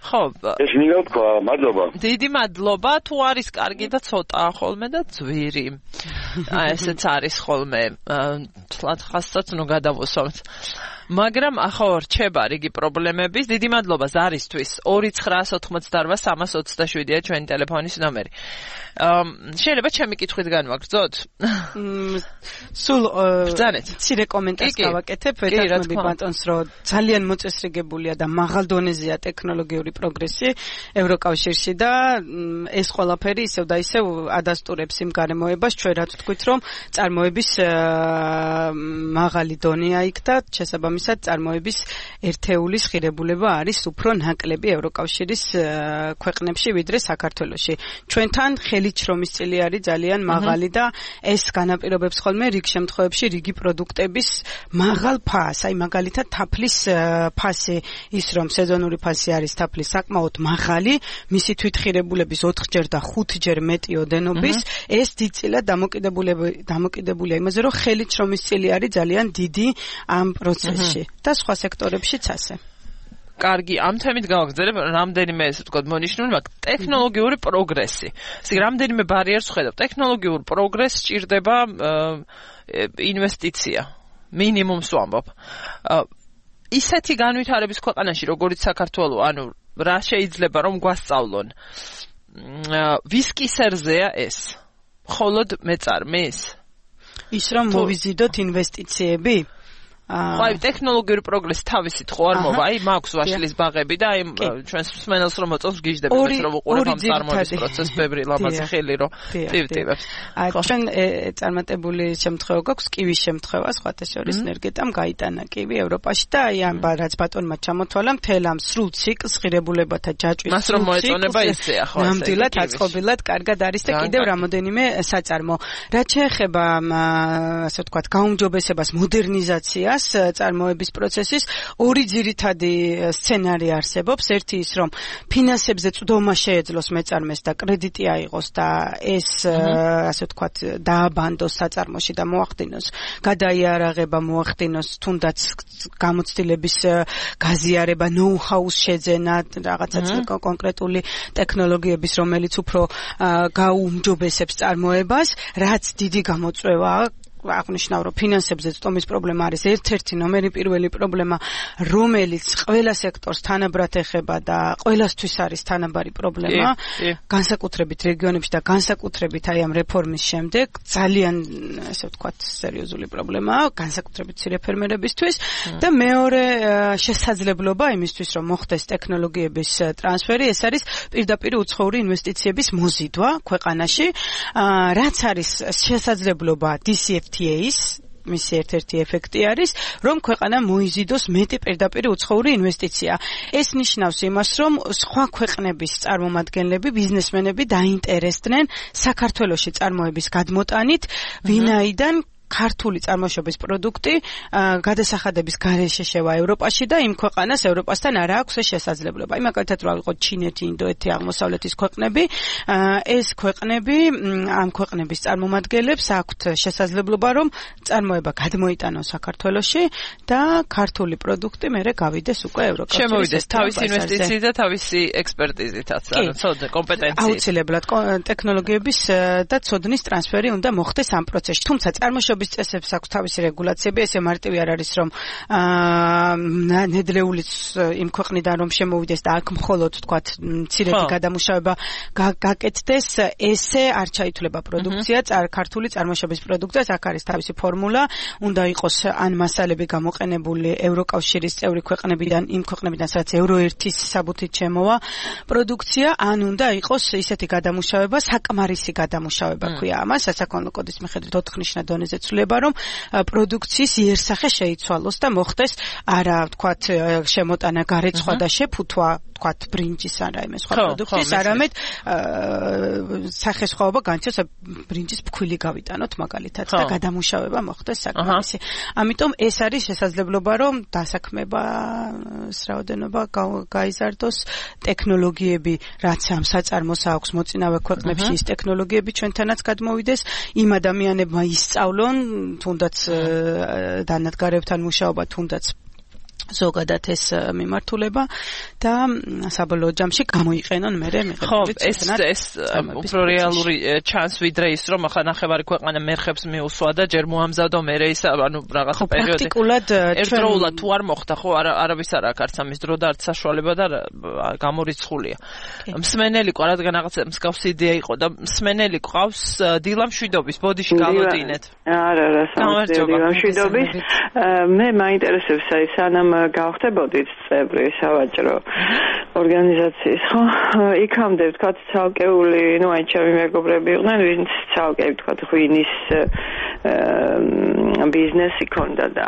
S2: ხო,
S10: ეს მინდა თქვა, მადლობა.
S2: დიდი მადლობა, თუ არის კარგი და ცოტაა ხოლმე და ძვირი. აი ესეც არის ხოლმე. თლათ ხასწაც ნუ გადავუსვამთ. მაგრამ ახო რჩება რიგი პრობლემების. დიდი მადლობა ზარისთვის 2988327-ია ჩვენი ტელეფონის ნომერი. შეიძლება ჩემი კითხვით განვაგრძოთ?
S3: სულ ცირე კომენტარს გავაკეთებ. ვეთანხმები ბატონს, რომ ძალიან მოწესრიგებულია და მაღალ დონეზეა ტექნოლოგიური პროგრესი ევროკავშირში და ეს ყველაფერი ისევ და ისევ ადასტურებს იმ გარემოებას, ჩვენ რაც ვთქვით, რომ წარმოების მაღალი დონეა იქ და შესაბამისად წარმოების ერთეულის ღირებულება არის უფრო ნაკლები ევროკავშირის ქვეყნებში ვიდრე საქართველოში. ჩვენთან ხელით შრომის წილი არის ძალიან მაღალი და ეს განაპირობებს ხოლმე რიგ შემთხვევებში რიგი პროდუქტების მაღალ ფასს. აი მაგალითად თაფლის ფასი ის რომ სეზონური ფასი არის თაფლის საკმაოდ მაღალი, მისი თვითღირებულების 4-ჯერ და 5-ჯერ მეტი ოდენობის, ეს დიდწილად დამოკიდებულია იმაზე, რომ ხელით შრომის წილი არის ძალიან დიდი ამ პროცესში და სხვა სექტორებშიც ასე.
S2: კარგი, ამ თემით გავაგრძელებ რამდენიმე ესე ვთქვათ მონიშნული, მაგრამ ტექნოლოგიური პროგრესი. ისე რამდენიმე ბარიერს ვხედავ. ტექნოლოგიურ პროგრესს სჭირდება ინვესტიცია. მინიმუმს ვამბობ. ისეთი განვითარების ქვეყანაში, როგორც საქართველო, ანუ რა შეიძლება რომ გვასწავლონ. ვის კისერზეა ეს? მხოლოდ მეწარმის?
S3: ის რომ მოვიზიდოთ ინვესტიციები?
S2: აი ტექნოლოგიური პროგრესი თავისით ხო არ მოვა? აი მაქვს ვაშლის ბაღები და აი ჩვენს მსმენელს რომ მოწონს გიჟდები მეც რომ უყურებ ამ წარმოების პროცესს ბევრი ლამაზი ხელი რომ ტივტივებს.
S3: ჩვენ წარმატებული შემთხვევა გვაქვს კივის შემთხვევა სხვათა შორის ნერგეტამ გაიტანა კივი ევროპაში და აი ამ რაც ბატონმა ჩამოთვალა მთელ ამ სრულ ციკლს ღირებულებათა ჯაჭვის
S2: მას რომ მოეწონება ისეა ხო ესე.
S3: ნამდვილად აწყობილად კარგად არის და კიდევ რამოდენიმე საწარმო. რაც შეეხება ასე ვთქვათ გაუმჯობესებას, მოდერნიზაციას დგას წარმოების პროცესის. ორი ძირითადი სცენარი არსებობს. ერთი ის, რომ ფინანსებზე წვდომა შეეძლოს მეწარმეს და კრედიტი აიღოს და ეს ასე ვთქვათ დააბანდოს საწარმოში და მოახდინოს გადაიარაღება, მოახდინოს თუნდაც გამოცდილების გაზიარება, ნოუ-ჰაუს შეძენა, რაღაცა კონკრეტული ტექნოლოგიების, რომელიც უფრო გაუმჯობესებს წარმოებას, რაც დიდი გამოწვევაა. აღნიშნავ, რომ ფინანსებზე წვდომის პრობლემა არის ერთ-ერთი ნომერი პირველი პრობლემა, რომელიც ყველა სექტორს თანაბრად ეხება და ყველასთვის არის თანაბარი პრობლემა. განსაკუთრებით რეგიონებში და განსაკუთრებით აი ამ რეფორმის შემდეგ ძალიან, ასე ვთქვათ, სერიოზული პრობლემაა, განსაკუთრებით მცირე ფერმერებისთვის და მეორე შესაძლებლობა იმისთვის, რომ მოხდეს ტექნოლოგიების ტრანსფერი, ეს არის პირდაპირ უცხოური ინვესტიციების მოზიდვა ქვეყანაში, რაც არის შესაძლებლობა DCFTA-ის მისი ერთ-ერთი ეფექტი არის, რომ ქვეყანა მოიზიდოს მეტი პირდაპირ უცხოური ინვესტიცია. ეს ნიშნავს იმას, რომ სხვა ქვეყნების წარმომადგენლები, ბიზნესმენები დაინტერესდნენ საქართველოში წარმოების გადმოტანით, ვინაიდან ქართული წარმოშობის პროდუქტი გადასახადების გარეშე შევა ევროპაში და იმ ქვეყანას ევროპასთან არ აქვს შესაძლებლობა. იმაკეთად რა იყო ჩინეთი, ინდოეთი, აღმოსავლეთის ქვეყნები, ეს ქვეყნები ამ ქვეყნების წარმომადგენლებს აქვთ შესაძლებლობა, რომ წარმოება გადმოიტანონ საქართველოში და ქართული პროდუქტი მერე გავიდეს უკვე ევროკავშირის.
S2: შემოვიდეს თავისი ინვესტიციით და თავისი ექსპერტიზითაც, ცოდნა, კომპეტენციით.
S3: აუცილებლად ტექნოლოგიების და ცოდნის ტრანსფერი უნდა მოხდეს ამ პროცესში. თუმცა წარმოშობის წესებს აქვს თავისი რეგულაციები, ესე მარტივი არ არის, რომ ნედლეულიც იმ ქვეყნიდან რომ შემოვიდეს და აქ მხოლოდ თქვათ მცირედი გადამუშავება გაკეთდეს, ესე არ ჩაითვლება პროდუქცია, ქართული წარმოშობის პროდუქტს, აქ არის თავისი ფორმულა, უნდა იყოს ან მასალები გამოყენებული ევროკავშირის წევრი ქვეყნებიდან, იმ ქვეყნებიდან, სადაც euro-1-ის საბუთით შემოვა პროდუქცია, ან უნდა იყოს ისეთი გადამუშავება, საკმარისი გადამუშავება ქვია ამას, სასაქონლო კოდის მიხედვით 4 ნიშნა დონეზე ცვლილება, რომ პროდუქციის იერსახე შეიცვალოს და მოხდეს არა, ვთქვათ, შემოტანა გარეცხვა და შეფუთვა, ვთქვათ, ბრინჯის ან რაიმე სხვა პროდუქტის, არამედ სახესხვაობა განიცდოს, ბრინჯის ფქვილი გავიტანოთ მაგალითად და გადამუშავება მოხდეს საკმარისი. ამიტომ ეს არის შესაძლებლობა, რომ დასაქმებას რაოდენობა გაიზარდოს, ტექნოლოგიები, რაც ამ საწარმოს აქვს მოწინავე ქვეყნებში, ის ტექნოლოგიები ჩვენთანაც გადმოვიდეს, იმ ადამიანებმა ისწავლონ თუნდაც დანადგარებთან მუშაობა, თუნდაც ზოგადად ეს მიმართულება და საბოლოო ჯამში გამოიყენონ მერე მიღებული ცოდნა.
S2: ეს უფრო რეალური ჩანს ვიდრე ის, რომ ახლა ნახევარი ქვეყანა მერხებს მიუსვა და ჯერ მოამზადო მერე ის, ანუ რაღაცა პერიოდი. ერთდროულად თუ არ მოხდა, ხო, არავის არ აქვს არც ამის დრო და არც საშუალება და გამორიცხულია. მსმენელი ყო, რადგან რაღაცა მსგავსი იდეა იყო და მსმენელი ყავს დილამ შვიდობის, ბოდიში გავოდინეთ.
S11: არა, დილამ შვიდობის. მე მაინტერესებს აი სანამ გავხდებოდით წევრი სავაჭრო ორგანიზაციის, ხო? იქამდე ვთქვათ ცალკეული, აი ჩემი მეგობრები იყვნენ, ვინც ცალკე ვთქვათ ღვინის ბიზნესი ქონდა და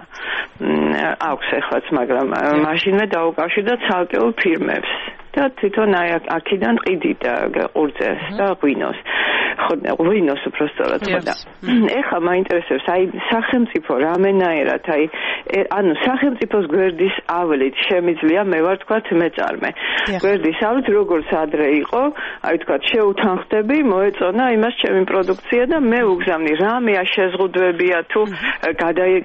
S11: აქვს ეხლაც, მაგრამ მაშინვე დაუკავშირდა ცალკეულ ფირმებს. და თვითონ აი აქედან ყიდიდა ყურძენს და ღვინოს. ღვინოს უბრალოდ ხოდა. ეხლა მაინტერესებს აი სახელმწიფო რამენაერად აი ანუ სახელმწიფოს გვერდის ავლით შემიძლია მე ვარ თქვათ მეწარმე. გვერდის ავლით როგორც ადრე იყო, აი თქვათ შეუთანხმდები, მოეწონა იმას ჩემი პროდუქცია და მე უგზავნი რამეა შეზღუდვებია თუ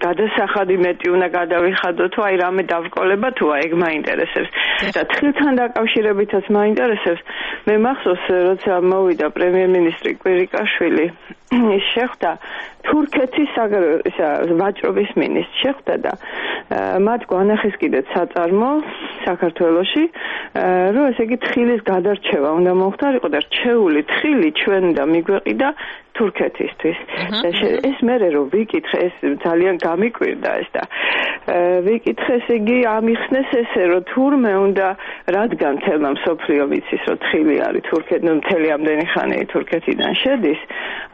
S11: გადასახადი მეტი უნდა გადავიხადო თუ აი რამე დავრკოლება თუ აი ეგ მაინტერესებს. და თხილთან დაკავშირებითაც მაინტერესებს. მე მახსოვს როცა მოვიდა პრემიერ-მინისტრი კვირიკაშვილი, ის შეხვდა თურქეთის ვაჭრობის მინისტრს შეხვდა და მათ გვანახეს კიდეც საწარმო საქართველოში, რომ ესე იგი თხილის გადარჩევა უნდა მოხდარიყო და რჩეული თხილი ჩვენ უნდა მიგვეყიდა თურქეთისთვის. ეს მერე რომ ვიკითხე, ეს ძალიან გამიკვირდა ეს და ვიკითხე, ესე იგი ამიხსნეს ესე რომ თურმე უნდა, რადგან თელმა მსოფლიო ვიცის რომ თხილი არის თურქეთში, მთელი ამდენი ხანი თურქეთიდან შედის,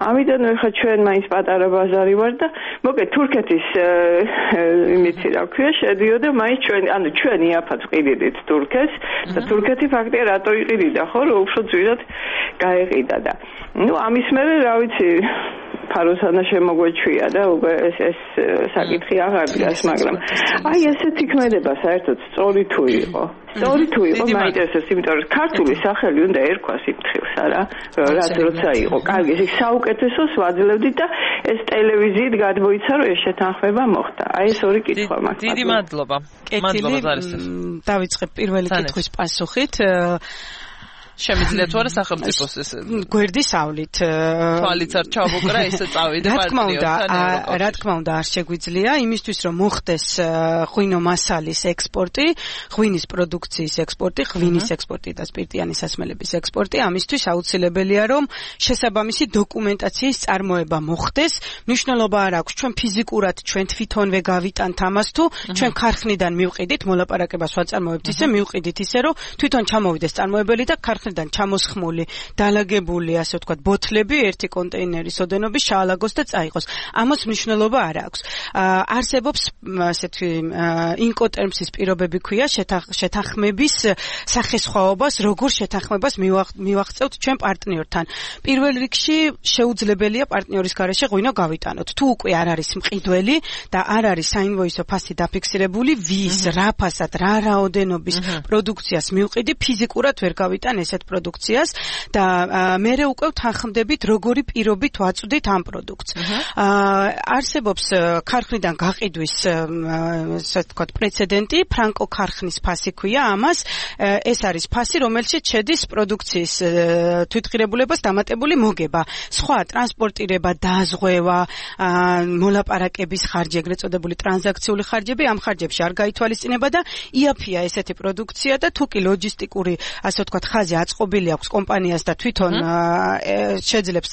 S11: ამიტომ ხა ჩვენ მაინც პატარა ბაზარი ვარ და მოკეთ თურქეთის იმითი რა ქვია შედიოდა მაინც ჩვენ, ანუ ჩვენ იაფად ყიდით თურქეთს და თურქეთი ფაქტია რატო იყიდიდა, ხო, რომ უფრო ძვირად გაეყიდა და ამის მერე რა ვიცი ფაროსანა შემოგვეჩვია და უკვე ეს საკითხი აღარ დგას, მაგრამ აი ესეთი ქმედება საერთოდ სწორი თუ იყო. სწორი თუ იყო, მაინტერესებს, იმიტომ რომ ქართული სახელი უნდა ერქვას იმ თხილს, არა? რაც როცა იყო. კარგი, ეს საუკეთესოს ვაძლევდით და ეს ტელევიზიით გადმოიცა, რომ ეს შეთანხმება მოხდა. აი ეს ორი კითხვა მაქვს.
S2: დიდი მადლობა. მადლობა ზარისთეს.
S3: დავიწყებ პირველი კითხვის პასუხით.
S2: შემიძლია თუ არა სახელმწიფოს ეს
S3: გვერდისავლით
S2: თვალიც არ ჩავუკრა ისე წავიდე პარტნიორთან
S3: რა თქმა უნდა არ შეგვიძლია იმისთვის რომ მოხდეს ღვინო მასალის ექსპორტი, ღვინის პროდუქციის ექსპორტი, ღვინის ექსპორტი და სპირტიანი სასმელების ექსპორტი, ამისთვის აუცილებელია რომ შესაბამისი დოკუმენტაციის წარმოება მოხდეს. მნიშვნელობა არ აქვს ჩვენ ფიზიკურად ჩვენ თვითონვე გავიტანთ ამას თუ ჩვენ ქარხნიდან მივყიდით მოლაპარაკებას ვაწარმოებთ ისე მივყიდით ისე რომ თვითონ ჩამოვიდეს წარმოებელი და ქარხნიდან ჩამოსხმული, დალაგებული, ასე ვთქვათ, ბოთლები ერთი კონტეინერის ოდენობის შაალაგოს და წაიღოს. ამას მნიშვნელობა არ აქვს. არსებობს ასეთი ინკოტერმსის პირობები ქვია შეთანხმების სახესხვაობას, როგორ შეთანხმებას მივაღწევთ ჩვენ პარტნიორთან. პირველ რიგში შეუძლებელია პარტნიორის გარეშე ღვინო გავიტანოთ. თუ უკვე არ არის მყიდველი და არ არის საინვოისო ფასი დაფიქსირებული, ვის, რა ფასად, რა რაოდენობის პროდუქციას მივყიდი, ფიზიკურად ვერ გავიტან ესეთ პროდუქციას და მერე უკვე თანხმდებით როგორი პირობით ვაწვდით ამ პროდუქტს. არსებობს ქარხნიდან გაყიდვის ასე ვთქვათ პრეცედენტი, ფრანკო ქარხნის ფასი ქვია ამას. ეს არის ფასი, რომელშიც შედის პროდუქციის თვითღირებულებას დამატებული მოგება. სხვა ტრანსპორტირება, დაზღვევა, მოლაპარაკების ხარჯი, ეგრეთ წოდებული ტრანზაქციული ხარჯები ამ ხარჯებში არ გაითვალისწინება და იაფია ესეთი პროდუქცია და თუ კი ლოჯისტიკური ასე ვთქვათ ხაზი აწყობილი აქვს კომპანიას და თვითონ შეძლებს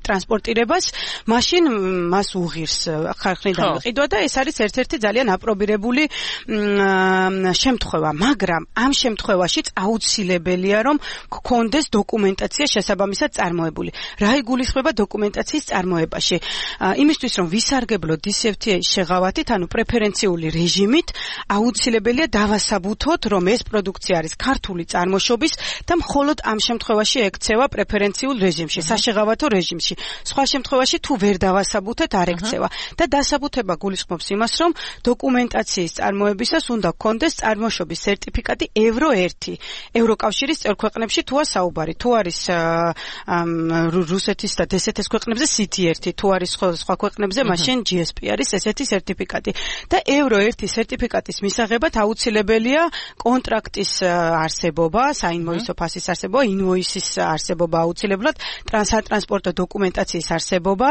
S3: ტრანსპორტირებას, მაშინ მას უღირს ხარხნიდან მიყიდვა და ეს არის ერთ-ერთი ძალიან აპრობირებული შემთხვევა, მაგრამ ამ შემთხვევაშიც აუცილებელია რომ გქონდეს დოკუმენტაცია შესაბამისად წარმოებული. რა იგულისხმება დოკუმენტაციის წარმოებაში? იმისთვის რომ ვისარგებლოთ DCFTA-ის შეღავათით, ანუ პრეფერენციული რეჟიმით, აუცილებელია დავასაბუთოთ, რომ ეს პროდუქცია არის ქართული წარმოშობის და მხოლოდ ამ შემთხვევაში ექცევა პრეფერენციულ რეჟიმში, საშეღავათო რეჟიმში. სხვა შემთხვევაში თუ ვერ დავასაბუთეთ, არ ექცევა. და დასაბუთება გულისხმობს იმას, რომ დოკუმენტაციის წარმოებისას უნდა გქონდეს წარმოშობის სერტიფიკატი ევრო 1. ევროკავშირის წევრ ქვეყნებში თუა საუბარი, თუ არის რუსეთის და დსთ-ის ქვეყნებზე CT1, თუ არის სხვა ქვეყნებზე, მაშინ GSP არის ესეთი სერტიფიკატი. და ევრო 1 სერტიფიკატის მისაღებად აუცილებელია კონტრაქტის არსებობა, საინვოისო ფასის არსებობა, ინვოისის არსებობა აუცილებლად, ტრანსპორტო დოკუმენტაციის არსებობა,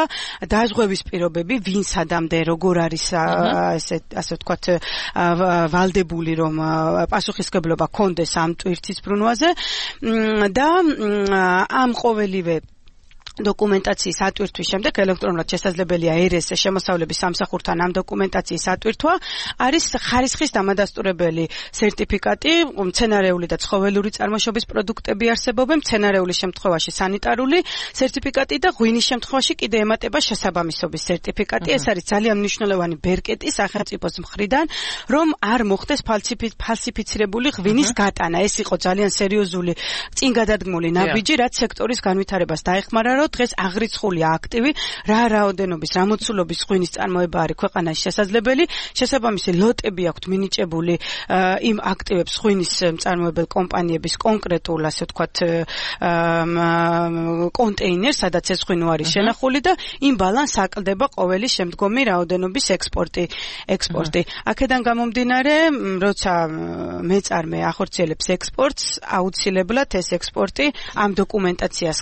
S3: დაზღვევის პირობები, ვინ სადამდე, როგორ არის ასე ვთქვათ ვალდებული, რომ პასუხისმგებლობა ქონდეს ამ ტვირთის ბრუნვაზე და ამ ყოველივე დოკუმენტაციის ატვირთვის შემდეგ ელექტრონულად შესაძლებელია ERS შემოსავლების სამსახურთან ამ დოკუმენტაციის ატვირთვა. არის ხარისხის დამადასტურებელი სერტიფიკატი, მცენარეული და ცხოველური წარმოშობის პროდუქტები არსებობენ, მცენარეული შემთხვევაში სანიტარული სერტიფიკატი და ღვინის შემთხვევაში კიდე ემატება შესაბამისობის სერტიფიკატი. ეს არის ძალიან მნიშვნელოვანი ბერკეტი სახელმწიფოს მხრიდან, რომ არ მოხდეს ფალსიფიცირებული ღვინის გატანა. ეს იყო ძალიან სერიოზული წინ გადადგმული ნაბიჯი, რაც სექტორის განვითარებას დაეხმარა, რომ დღეს აღრიცხულია აქტივი, რა რაოდენობის, რა მოცულობის ღვინის წარმოება არის ქვეყანაში შესაძლებელი, შესაბამისი ლოტები აქვთ მინიჭებული იმ აქტივებს ღვინის მწარმოებელ კომპანიების კონკრეტულ, ასე ვთქვათ, კონტეინერს, სადაც ეს ღვინო არის შენახული და იმ ბალანსს აკლდება ყოველი შემდგომი რაოდენობის ექსპორტი. აქედან გამომდინარე, როცა მეწარმე ახორციელებს ექსპორტს, აუცილებლად ეს ექსპორტი ამ დოკუმენტაციას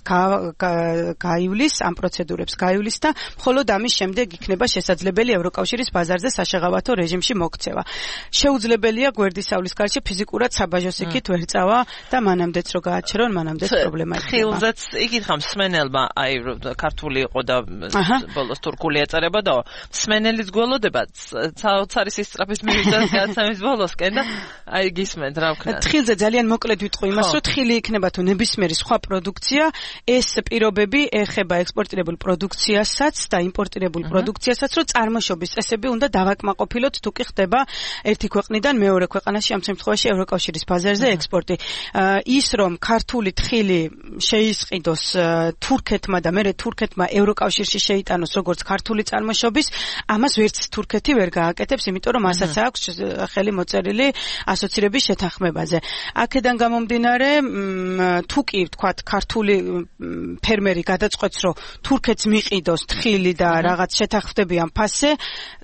S3: გაივლის, ამ პროცედურებს გაივლის და მხოლოდ ამის შემდეგ იქნება შესაძლებელი ევროკავშირის ბაზარზე საშეღავათო რეჟიმში მოქცევა. შეუძლებელია გვერდისავლის გარშე ფიზიკურად საბაჟოს იქით ვერ წავა და მანამდეც რო გააჩერონ, მანამდეც პრობლემა იქნება.
S2: ხილზეც იგითხა მსმენელმა, აი ქართული იყო და ბოლოს თურქული ეწერება და მსმენელის გველოდება საოცარი სისწრაფის მივიდა გადაცემის ბოლოსკენ და აი გისმენთ რა ვქნა.
S3: ხილზე ძალიან მოკლედ ვიტყვი იმას, რომ ხილი იქნება თუ ნებისმიერი სხვა პროდუქცია, ეს პირობები ეხება ექსპორტირებულ პროდუქციასაც და იმპორტირებულ პროდუქციასაც, რომ წარმოშობის წესები უნდა დავაკმაყოფილოთ თუ კი ხდება ერთი ქვეყნიდან მეორე ქვეყანაში, ამ შემთხვევაში ევროკავშირის ბაზარზე ექსპორტი. ის რომ ქართული თხილი შეისყიდოს თურქეთმა და მერე თურქეთმა ევროკავშირში შეიტანოს როგორც ქართული წარმოშობის, ამას ვერც თურქეთი ვერ გააკეთებს, იმიტომ რომ მასაც აქვს ხელი მოწერილი ასოცირების შეთანხმებაზე. აქედან გამომდინარე, თუ კი ვთქვათ, ქართული ფერმერი გადაწყვეტს, რომ თურქეთს მიყიდოს თხილი და რაღაც შეთანხმდებიან ფასზე,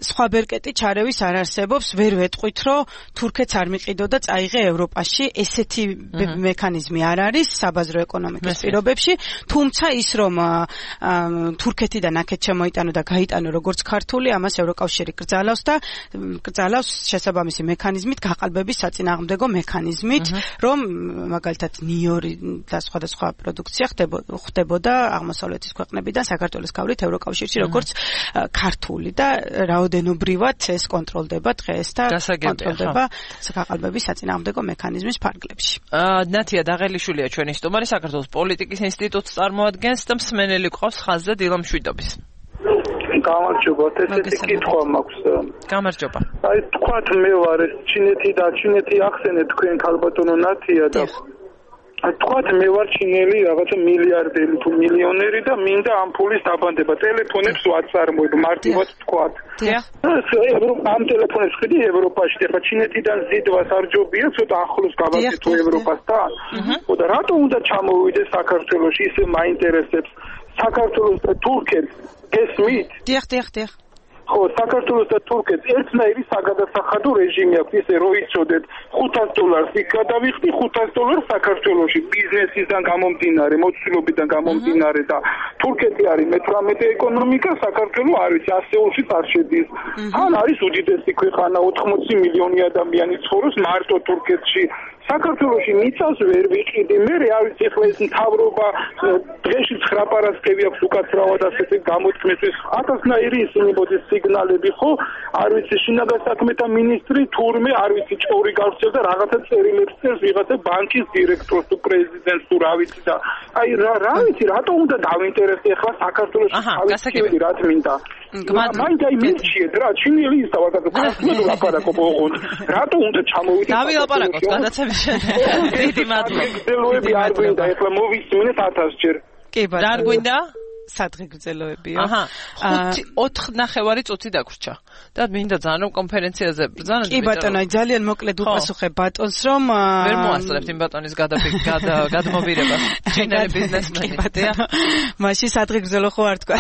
S3: სხვა ბერკეტი ჩარევის არ არსებობს, ვერ ვეტყვით, რომ თურქეთს არ მიყიდო და წაიღე ევროპაში, ესეთი მექანიზმი არ არის საბაზრო ეკონომიკის პირობებში, თუმცა ის რომ თურქეთიდან აქეთ შემოიტანო და გაიტანო როგორც ქართული, ამას ევროკავშირი კრძალავს შესაბამისი მექანიზმით, გაყალბების საწინააღმდეგო მექანიზმით, რომ მაგალითად ნიორი და სხვადასხვა პროდუქცია ხდებოდა აღმოსავლეთის ქვეყნებიდან საქართველოს გავლით ევროკავშირში როგორც ქართული და რაოდენობრივად ეს კონტროლდება დღეს და კონტროლდება გაყალბების საწინააღმდეგო მექანიზმის ფარგლებში.
S2: ნათია დაღელიშვილია ჩვენი სტუმარი, საქართველოს პოლიტიკის ინსტიტუტს წარმოადგენს და მსმენელი ყავს ხაზზე დილა მშვიდობის.
S12: გამარჯობა, ესეთი კითხვა მაქვს.
S2: გამარჯობა.
S12: აი თქვათ მე ვარ ეს ჩინეთი ახსენეთ თქვენ ქალბატონო ნათია და თქვათ მე ვარ ჩინელი რაღაცა მილიარდერი თუ მილიონერი და მინდა ამ ფულის დაბანდება. ტელეფონებს ვაწარმოებ, მარტივად თქვათ. ამ ტელეფონებს ხედი ევროპაში, ახლა ჩინეთიდან ზიდვას არ ჯობია, ცოტა ახლოს გავაკეთო ევროპასთან. და რატო უნდა ჩამოვიდე საქართველოში, ისე მაინტერესებს საქართველოს და თურქეთს გესმით?
S3: დიახ.
S12: ხო, საქართველოს და თურქეთს ერთნაირი საგადასახადო რეჟიმი აქვს, ისე რომ იცოდეთ, $500 იქ გადავიხდი, $500 საქართველოში ბიზნესიდან გამომდინარე, მოცულობიდან გამომდინარე და თურქეთი არის მე-18 ეკონომიკა, საქართველოს არ ვიცი, ასეულშიც არ შედის. ან არის უდიდესი ქვეყანა, 80 მილიონი ადამიანი ცხოვრობს მარტო თურქეთში. საქართველოში მიწას ვერ ვიყიდი, მე არ ვიცი ახლა ეს მთავრობა დღეში 9 პარასკევი აქვს უკაცრავად ასეთი გამოთქმისთვის 1000-ნაირი ისინი მოდის სიგნალები, ხო? არ ვიცი შინაგან საქმეთა მინისტრი თურმე არ ვიცი ჭორი გავსწევდა რაღაცა წერილებს წერს ვიღაცა ბანკის დირექტორს თუ პრეზიდენტს თუ რა ვიცი და აი რა ვიცი რატო უნდა დავინტერესდე ახლა საქართველოში თავისი რა მინდა მაინდა იმიჩიეთ რა ჩინელი ის დავაკეთე ლაპარაკობ ოღონდ რატო უნდა ჩამოვიდე
S2: დავილაპარაკოთ გადაცემის შემდეგ დიდი მადლობა
S12: გრძელოები არ გვინდა ახლა მოვისმინეთ 1000 ჯერ
S3: კი ბატონო
S2: რა გვინდა
S3: სადღე გრძელოებია.
S2: 4.5 წუთი დაგვრჩა. და მინდა ძალიან კონფერენციაზე ბრძანა.
S3: კი ბატონო, ძალიან მოკლედ უპასუხებ ბატონს, რომ
S2: ვერ მოასწრებთ იმ ბატონის გადმობირებას. ჩინელი ბიზნესმენი.
S3: მაშინ სადღე გრძელო ხო არ თქვა.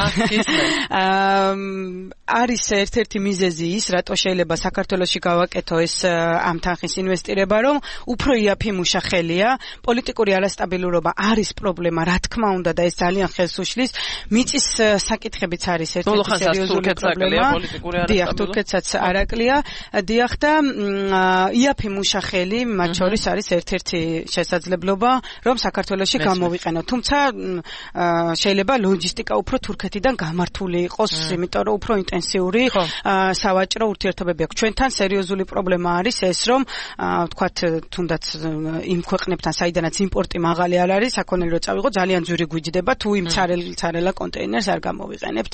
S3: არის ერთ-ერთი მიზეზი ის, რატო შეიძლება საქართველოში გავაკეთო ეს ამ თანხის ინვესტირება, რომ უფრო იაფი ხელია, პოლიტიკური არასტაბილურობა არის პრობლემა, რა თქმა უნდა და ეს ძალიან ხელს უშლის. მიწის საკითხებიც არის ერთ-ერთი სერიოზული პრობლემა. დიახ, თურქეთსაც არაკლია. დიახ და იაფი მუშახელი მათ შორის არის ერთ-ერთი შესაძლებლობა, რომ საქართველოში გამოვიყენოთ. თუმცა შეიძლება ლოჯისტიკა უფრო თურქეთიდან გამართული იყოს, იმიტომ რომ უფრო ინტენსიური სავაჭრო ურთიერთობები აქვს. ჩვენთან სერიოზული პრობლემა არის ეს, რომ ვთქვათ, თუნდაც იმ ქვეყნებთან, საიდანაც იმპორტი მაღალი არ არის, საქონელი რო წავიღო, ძალიან ძვირი გვიჯდება, თუ იმ ცარელა კონტეინერს არ გამოვიყენებთ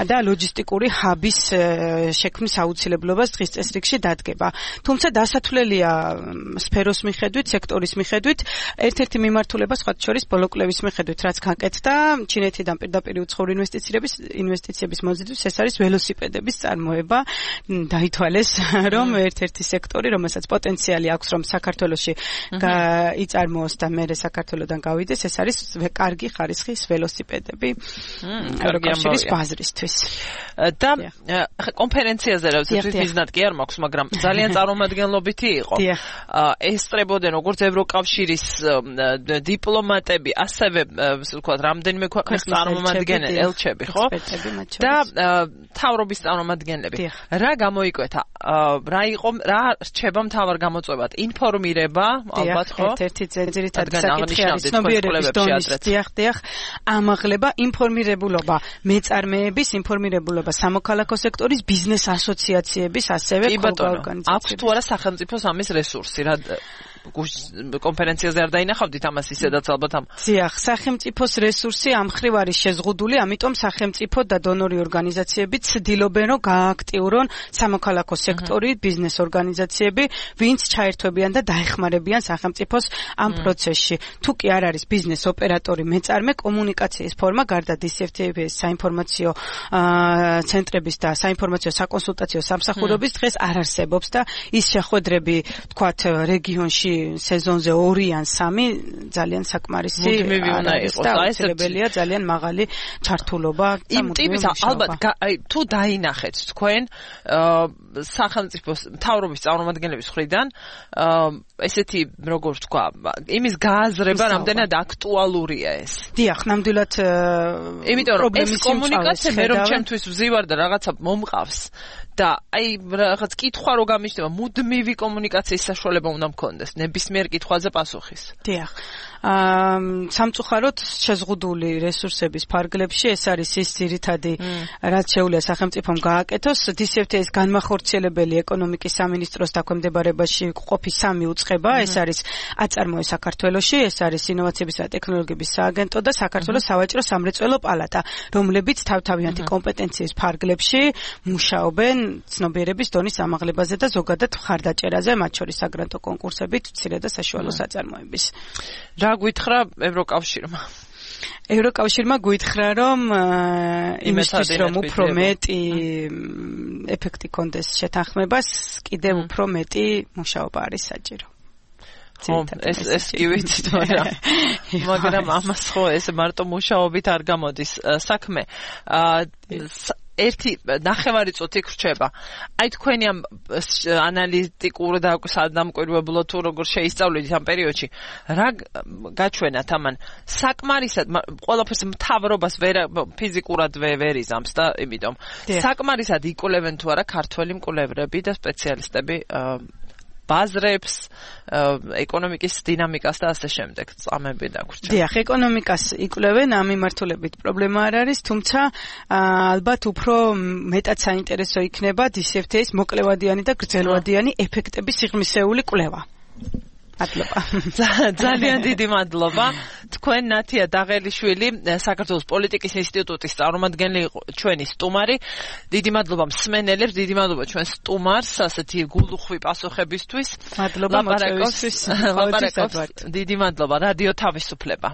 S3: და ლოჯისტიკური ჰაბის შექმნის აუცილებლობას დღის წესრიგში დადგება. თუმცა დასათვლელია სფეროს მიხედვით, სექტორის მიხედვით, ერთ-ერთი მიმართულება სხვა შორის ბოლოკლევის მიხედვით, რაც გაკეთდა ჩინეთიდან პირდაპირ უცხოური ინვესტიციების მოზიდვის, ეს არის ველოსიპედების წარმოება. დაითვალეს, რომ ერთ-ერთი სექტორი, რომელსაც პოტენციალი აქვს, რომ საქართველოში იწარმოოს და მერე საქართველოდან გავიდეს, ეს არის კარგი ხარისხის ველოსიპედები ევროკავშირის ბაზრისთვის.
S2: და კონფერენციაზე რა ვიცი მიზნად კი არ მაქვს, მაგრამ ძალიან წარმომადგენლობითი იყო. ესწრებოდნენ როგორც ევროკავშირის დიპლომატები, ასევე ვთქვათ, რამდენიმე ქვეყნის წარმომადგენელი, ელჩები, ხო? და მთავრობის წარმომადგენლები. რა გამოიკვეთა? რა რჩება მთავარ გამოწვევად? ინფორმირება, ალბათ, ხო?
S3: ერთ-ერთი ძირითადი საკითხი არის ცნობიერების დონის დიახ, ამაღლება, ინფორმირებულობა მეწარმეების, ინფორმირებულობა სამოქალაქო სექტორის, ბიზნეს ასოციაციების, ასევე
S2: ორგანიზაციების. აქვს თუ არა სახელმწიფოს ამის რესურსი, რა კონფერენციაზე არ დაინახავდით ამას ისედაც ალბათ ამ.
S3: დიახ, სახელმწიფოს რესურსი ამ მხრივ არის შეზღუდული, ამიტომ სახელმწიფო და დონორი ორგანიზაციები ცდილობენ რომ გააქტიურონ სამოქალაქო სექტორი, ბიზნეს ორგანიზაციები, ვინც ჩაერთვებიან და დაეხმარებიან სახელმწიფოს ამ პროცესში. თუ კი არ არის ბიზნეს ოპერატორი, მეწარმე, კომუნიკაციის ფორმა გარდა DCFTA-ის საინფორმაციო ცენტრების და საინფორმაციო საკონსულტაციო სამსახურების დღეს არ არსებობს და ის შეხვედრები, თქვათ, რეგიონში სეზონზე 2 ან 3 ძალიან საკმარისი არის და აუცილებელია ძალიან მაღალი ჩართულობა და
S2: იმ ტიპის ალბათ თუ დაინახეთ თქვენ სახელმწიფოს მთავრობის წარმომადგენლების მხრიდან ესეთი როგორ თქვა იმის გააზრება რამდენად აქტუალურია ეს.
S3: დიახ, ნამდვილად
S2: იმიტომ რომ ეს კომუნიკაცია მე რომ ჩემთვის ვზივარ და რაღაცა მომყავს და აი რაღაც კითხვა რო გამიჩნდება, მუდმივი კომუნიკაციის საშუალება უნდა მქონდეს ნებისმიერ კითხვაზე პასუხის.
S3: დიახ. სამწუხაროდ შეზღუდული რესურსების ფარგლებში ეს არის ის ძირითადი რაც შეუძლია სახელმწიფომ გააკეთოს. DCFTA-ის განმახორციელებელი ეკონომიკის სამინისტროს დაქვემდებარებაში ყოფი 3 უწყება, ეს არის აწარმოე საქართველოში, ეს არის ინოვაციებისა და ტექნოლოგიების სააგენტო და საქართველოს სავაჭრო სამრეწველო პალატა, რომლებიც თავთავიანთი კომპეტენციის ფარგლებში მუშაობენ ცნობიერების დონის ამაღლებაზე და ზოგადად მხარდაჭერაზე, მათ შორის საგრანტო კონკურსებით, მცირე და საშუალო საწარმოების.
S2: რა გვითხრა ევროკავშირმა?
S3: ევროკავშირმა გვითხრა, რომ იმისთვის რომ უფრო მეტი ეფექტი კონდეს შეთანხმებას, კიდევ უფრო მეტი მუშაობა არის საჭირო.
S2: ეს კი ვიცით, მაგრამ ამას ხო ეს მარტო მუშაობით არ გამოდის საქმე. ერთი ნახევარი წუთი გრჩება. აი თქვენი ამ ანალიტიკურ და სადამკვირვებლო თუ როგორ შეისწავლეთ ამ პერიოდში, რა გაჩვენათ ამან? საკმარისად ყველაფერს მთავრობას ფიზიკურად ვერ იზამს და იმიტომ საკმარისად იკვლევენ თუ არა ქართველი მკვლევრები და სპეციალისტები ბაზრებს, ეკონომიკის დინამიკას და ასე შემდეგ წამები დაგვრჩა.
S3: დიახ, ეკონომიკას იკვლევენ, ამ მიმართულებით პრობლემა არ არის, თუმცა ალბათ უფრო მეტად საინტერესო იქნება DCFTA-ის მოკლევადიანი და გრძელვადიანი ეფექტების სიღრმისეული კვლევა. მადლობა.
S2: ძალიან დიდი მადლობა. თქვენ ნათია დაღელიშვილი, საქართველოს პოლიტიკის ინსტიტუტის წარმომადგენელი იყო ჩვენი სტუმარი. დიდი მადლობა მსმენელებს, დიდი მადლობა ჩვენ სტუმარს, ასეთი გულუხვი პასუხებისთვის.
S3: მადლობა მოწვევისთვის.
S2: დიდი მადლობა რადიო თავისუფლება.